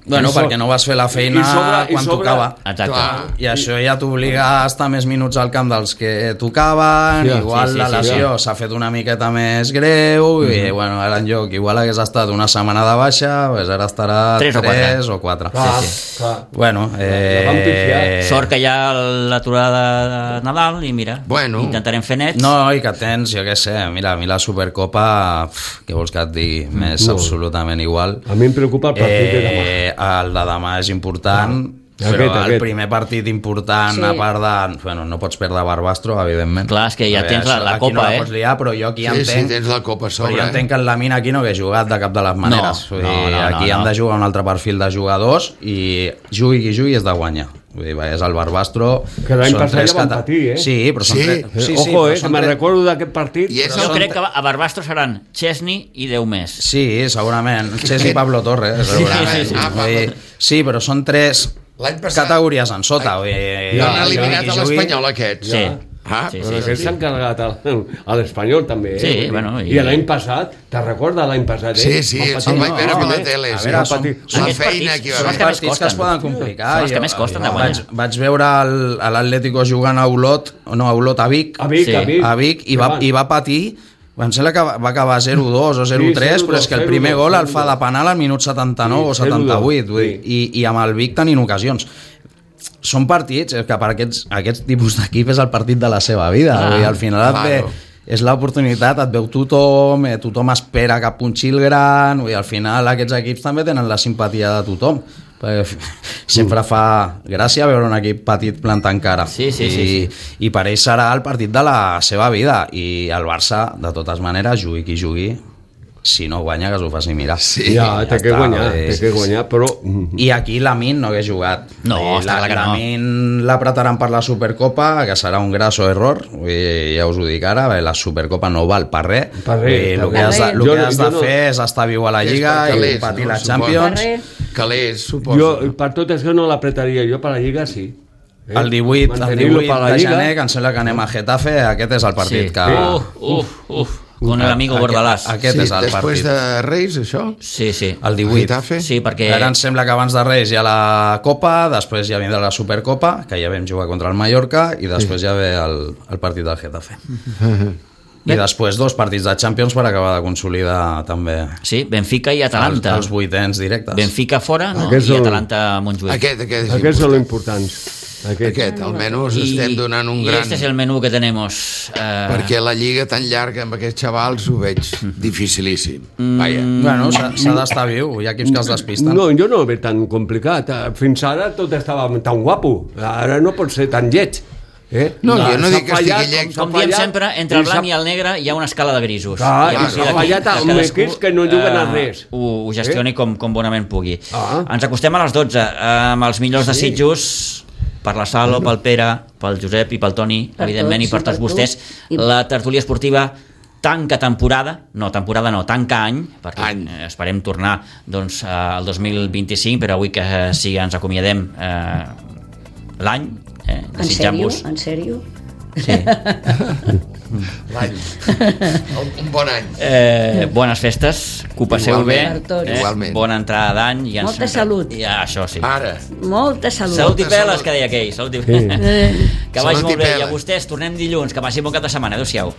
Speaker 3: Bueno,
Speaker 4: I so-
Speaker 3: perquè no vas fer la feina
Speaker 4: i sobre- i
Speaker 3: quan
Speaker 4: sobre-
Speaker 3: tocava.
Speaker 1: Exacte.
Speaker 5: Clar.
Speaker 3: I això ja t'obliga a estar més minuts al camp dels que tocaven,
Speaker 4: Sí,
Speaker 3: igual
Speaker 1: sí, sí,
Speaker 3: la
Speaker 1: sí,
Speaker 3: lesió s'ha fet una miqueta més greu, i bueno, ara en lloc, igual hagués estat una setmana de baixa, pues ara estarà
Speaker 1: Tres o quatre.
Speaker 3: tres o quatre.
Speaker 4: Clar,
Speaker 1: Sí,
Speaker 4: clar.
Speaker 3: Bueno,
Speaker 4: La vam pifiar.
Speaker 3: eh...
Speaker 1: Sort que hi ha l'aturada de Nadal i mira,
Speaker 5: Bueno.
Speaker 1: intentarem fer nets.
Speaker 3: No, i que tens, jo què sé, mira, a mi la Supercopa, pf, què vols que et digui, m'és
Speaker 4: No.
Speaker 3: absolutament igual.
Speaker 4: A mi em preocupa el partit de demà.
Speaker 3: Eh, el de demà és important,
Speaker 4: Ah,
Speaker 3: però
Speaker 4: aquest,
Speaker 3: el
Speaker 4: aquest.
Speaker 3: primer partit important,
Speaker 2: Sí.
Speaker 3: a part de... Bueno, no pots perdre Barbastro, evidentment.
Speaker 1: Clar, és que ja
Speaker 3: A veure,
Speaker 1: tens la-
Speaker 3: això
Speaker 1: la
Speaker 3: aquí
Speaker 1: Copa,
Speaker 3: no la
Speaker 1: eh?
Speaker 3: pots liar, però jo aquí
Speaker 5: Sí,
Speaker 3: entenc...
Speaker 5: sí, tens la Copa a
Speaker 3: Però
Speaker 5: sobre.
Speaker 3: jo entenc que en la mina aquí no hagués jugat de cap de les maneres.
Speaker 1: No,
Speaker 3: Vull dir,
Speaker 1: no, no,
Speaker 3: aquí
Speaker 1: no,
Speaker 3: han
Speaker 1: no.
Speaker 3: de jugar un altre perfil de jugadors i jugui qui jugui és de guanyar. Vull dir, és el Barbastro...
Speaker 4: Que l'any
Speaker 3: són
Speaker 4: passat
Speaker 3: tres
Speaker 4: ja van
Speaker 3: cata-
Speaker 4: patir, eh?
Speaker 3: Sí, però són
Speaker 5: Sí.
Speaker 3: tres...
Speaker 4: Eh,
Speaker 3: Sí, sí,
Speaker 4: Ojo,
Speaker 3: però
Speaker 4: eh,
Speaker 3: són
Speaker 4: que me'n
Speaker 3: tres-
Speaker 4: recordo d'aquest partit.
Speaker 5: I és
Speaker 1: Jo
Speaker 5: el-
Speaker 1: crec que a Barbastro seran Chesney i deu més.
Speaker 3: Sí, segurament. Chess i Pablo Torres,
Speaker 5: Sí,
Speaker 3: segurament.
Speaker 5: sí, sí. Ah,
Speaker 3: Vull dir, sí, però són tres
Speaker 5: L'any passat-
Speaker 3: categories en sota. Vull dir,
Speaker 5: Ja, han
Speaker 4: ja,
Speaker 5: eliminat
Speaker 3: qui
Speaker 5: a
Speaker 3: jugui-
Speaker 5: l'Espanyol, aquests.
Speaker 1: Sí.
Speaker 5: Ah,
Speaker 1: Sí,
Speaker 4: Però
Speaker 1: sí,
Speaker 4: aquests s'han carregat al- a l'Espanyol també, eh?
Speaker 1: Sí,
Speaker 4: Vull dir,
Speaker 1: bueno, i-
Speaker 4: I l'any passat, te'n recordes l'any passat, eh?
Speaker 5: Sí, sí,
Speaker 4: Van
Speaker 5: se'l
Speaker 4: patir-
Speaker 5: vaig veure
Speaker 4: no,
Speaker 5: per la
Speaker 4: eh?
Speaker 5: tele.
Speaker 3: A
Speaker 5: sí.
Speaker 3: veure,
Speaker 4: Va
Speaker 3: són,
Speaker 4: patir-
Speaker 5: La
Speaker 1: Aquests
Speaker 5: feina
Speaker 1: partits
Speaker 5: que hi va
Speaker 1: són
Speaker 5: haver.
Speaker 1: els que més
Speaker 3: partits que es
Speaker 1: costen.
Speaker 3: poden complicar.
Speaker 1: Són els que
Speaker 3: Jo-
Speaker 1: més costen de
Speaker 3: jo
Speaker 1: guanyar.
Speaker 3: Vaig, vaig veure el- a l'Atlético jugant a Olot, no, a Olot, a Vic,
Speaker 4: A Vic,
Speaker 1: Sí.
Speaker 4: a Vic.
Speaker 3: a Vic i, va, i va patir. Em sembla que va va acabar zero dos o zero tres,
Speaker 4: Sí,
Speaker 3: però és que el
Speaker 4: zero dos,
Speaker 3: primer gol el fa
Speaker 4: zero dos.
Speaker 3: de penal al minut setanta-nou
Speaker 4: Sí,
Speaker 3: o
Speaker 4: zero dos,
Speaker 3: setanta-vuit, vull dir,
Speaker 4: sí.
Speaker 3: i, i amb el Vic tenint ocasions. Són partits, és que per aquests, aquest tipus d'equip és el partit de la seva vida,
Speaker 1: Ah,
Speaker 3: vull dir, al final et ve,
Speaker 5: claro.
Speaker 3: és l'oportunitat, et veu tothom, eh, tothom espera cap punxil gran, vull dir, al final aquests equips també tenen la simpatia de tothom, perquè f- sempre fa gràcia veure un equip petit plantant cara.
Speaker 1: Sí, sí,
Speaker 3: I,
Speaker 1: sí,
Speaker 3: i per ell serà el partit de la seva vida, i el Barça, de totes maneres, jugui qui jugui, si no guanya que s'ho faci mirar.
Speaker 5: Sí.
Speaker 4: Ja, té que
Speaker 3: està,
Speaker 4: guanyar,
Speaker 3: vull dir,
Speaker 4: té que guanyar, però...
Speaker 3: i aquí l'Amin no hagués jugat.
Speaker 1: No,
Speaker 3: Vull dir,
Speaker 1: està clar que no.
Speaker 3: L'Amin l'apretaran per la Supercopa, que serà un grasso error, vull dir, ja us ho dic ara, bé, la Supercopa no val per res.
Speaker 4: Per res,
Speaker 3: Vull dir,
Speaker 4: per
Speaker 3: el que has de,
Speaker 2: res.
Speaker 3: el
Speaker 4: Jo
Speaker 3: que
Speaker 4: no-
Speaker 3: has
Speaker 4: jo
Speaker 3: de
Speaker 4: no-
Speaker 3: fer és estar viu a la
Speaker 5: És
Speaker 3: Lliga
Speaker 5: per
Speaker 3: i
Speaker 5: calés,
Speaker 3: competir
Speaker 5: no?
Speaker 3: la
Speaker 5: Suposo.
Speaker 3: Champions.
Speaker 2: Per res.
Speaker 5: Calés, suposo.
Speaker 4: Jo, per tot això no l'apretaria, jo per la Lliga sí. Eh?
Speaker 3: El divuit, el
Speaker 4: Mantenir-lo
Speaker 3: divuit
Speaker 4: per la
Speaker 3: de
Speaker 4: Lliga.
Speaker 3: gener, que em sembla que anem a Getafe, aquest és el partit
Speaker 1: Sí.
Speaker 3: que...
Speaker 1: Uf, uf, uf, con el amigo
Speaker 3: Aquest-
Speaker 1: Bordalàs.
Speaker 3: Aquest
Speaker 5: sí,
Speaker 3: és el
Speaker 5: després
Speaker 3: partit.
Speaker 5: de Reis, això?
Speaker 1: Sí, sí.
Speaker 3: El divuit.
Speaker 5: Getafe?
Speaker 1: Sí, perquè...
Speaker 3: Ara em sembla que abans de Reis hi ha la Copa, després ja vindrà la Supercopa, que ja vam jugar contra el Mallorca, i després ja ve el, el partit del Getafe. I després dos partits de Champions per acabar de consolidar també
Speaker 1: Sí, Benfica i
Speaker 3: els,
Speaker 1: Atalanta.
Speaker 3: els vuitens directes.
Speaker 1: Benfica fora, no?
Speaker 4: Aquests
Speaker 1: I
Speaker 4: són-
Speaker 1: Atalanta Montjuïc.
Speaker 5: Aquest, aquest és
Speaker 4: Aquests són
Speaker 5: important.
Speaker 4: importants. Aquest.
Speaker 5: Aquest, almenys estem donant un
Speaker 1: y
Speaker 5: gran...
Speaker 1: este es el menú que tenemos. Uh,
Speaker 5: Perquè la lliga tan llarga amb aquests xavals ho veig dificilíssim. Vaja.
Speaker 3: Bueno, s'ha s'ha d'estar viu, hi ha equips que es despisten.
Speaker 4: No, jo no ho veig tan complicat. Eh, Fins ara tot estava tan guapo. Ara no pot ser tan lleig. Eh?
Speaker 5: No, jo no
Speaker 4: S'ha
Speaker 5: dic que
Speaker 4: fallat,
Speaker 5: estigui lleig.
Speaker 4: s'ha
Speaker 1: com diem
Speaker 4: fallat,
Speaker 1: sempre, entre el
Speaker 4: i
Speaker 1: blanc
Speaker 4: s'ha-
Speaker 1: i el negre hi ha una escala de grisos.
Speaker 4: Clar,
Speaker 1: I a
Speaker 4: i
Speaker 1: partir
Speaker 4: s'ha
Speaker 1: d'aquí,
Speaker 4: fallat amb
Speaker 1: cadascú,
Speaker 4: equips que no juguen a
Speaker 1: eh,
Speaker 4: res.
Speaker 1: Ho, ho gestioni com, com bonament pugui.
Speaker 4: Ah.
Speaker 1: Ens acostem a les dotze, amb els millors desitjos per la Salo, pel Pere, pel Josep i pel Toni,
Speaker 2: Per
Speaker 1: evidentment,
Speaker 2: tots,
Speaker 1: i per
Speaker 2: i
Speaker 1: tots
Speaker 2: per
Speaker 1: vostès.
Speaker 2: tu. I-
Speaker 1: La tertúlia esportiva tanca temporada, no, temporada no, tanca any, perquè
Speaker 5: Any.
Speaker 1: eh, esperem tornar doncs, eh, al dos mil vint-i-cinc, però avui que eh, sí ens acomiadem eh, l'any, eh,
Speaker 2: En sèrio?
Speaker 1: desitjant-vos...
Speaker 2: En sèrio?
Speaker 1: Sí.
Speaker 5: L'any. Un bon any.
Speaker 1: Eh, bones festes, que ho passeu
Speaker 5: Igualment.
Speaker 2: Per tots.
Speaker 1: bé, eh,
Speaker 5: Igualment.
Speaker 1: bona entrada d'any i ens-
Speaker 2: Molta salut.
Speaker 1: ja, això sí.
Speaker 5: Ara.
Speaker 2: Molta salut.
Speaker 1: Salut i
Speaker 5: Molta
Speaker 1: peles,
Speaker 5: salut.
Speaker 1: que deia aquell. Salut i peles. Que vagi
Speaker 5: Salut i
Speaker 1: molt bé. I a
Speaker 5: peles.
Speaker 1: vostès, tornem dilluns. Que passi bon cap de setmana. Adéu-siau.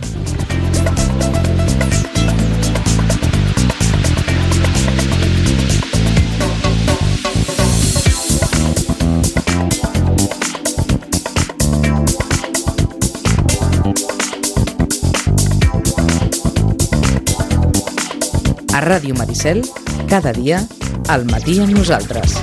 Speaker 6: A Ràdio Maricel, cada dia, al matí amb nosaltres.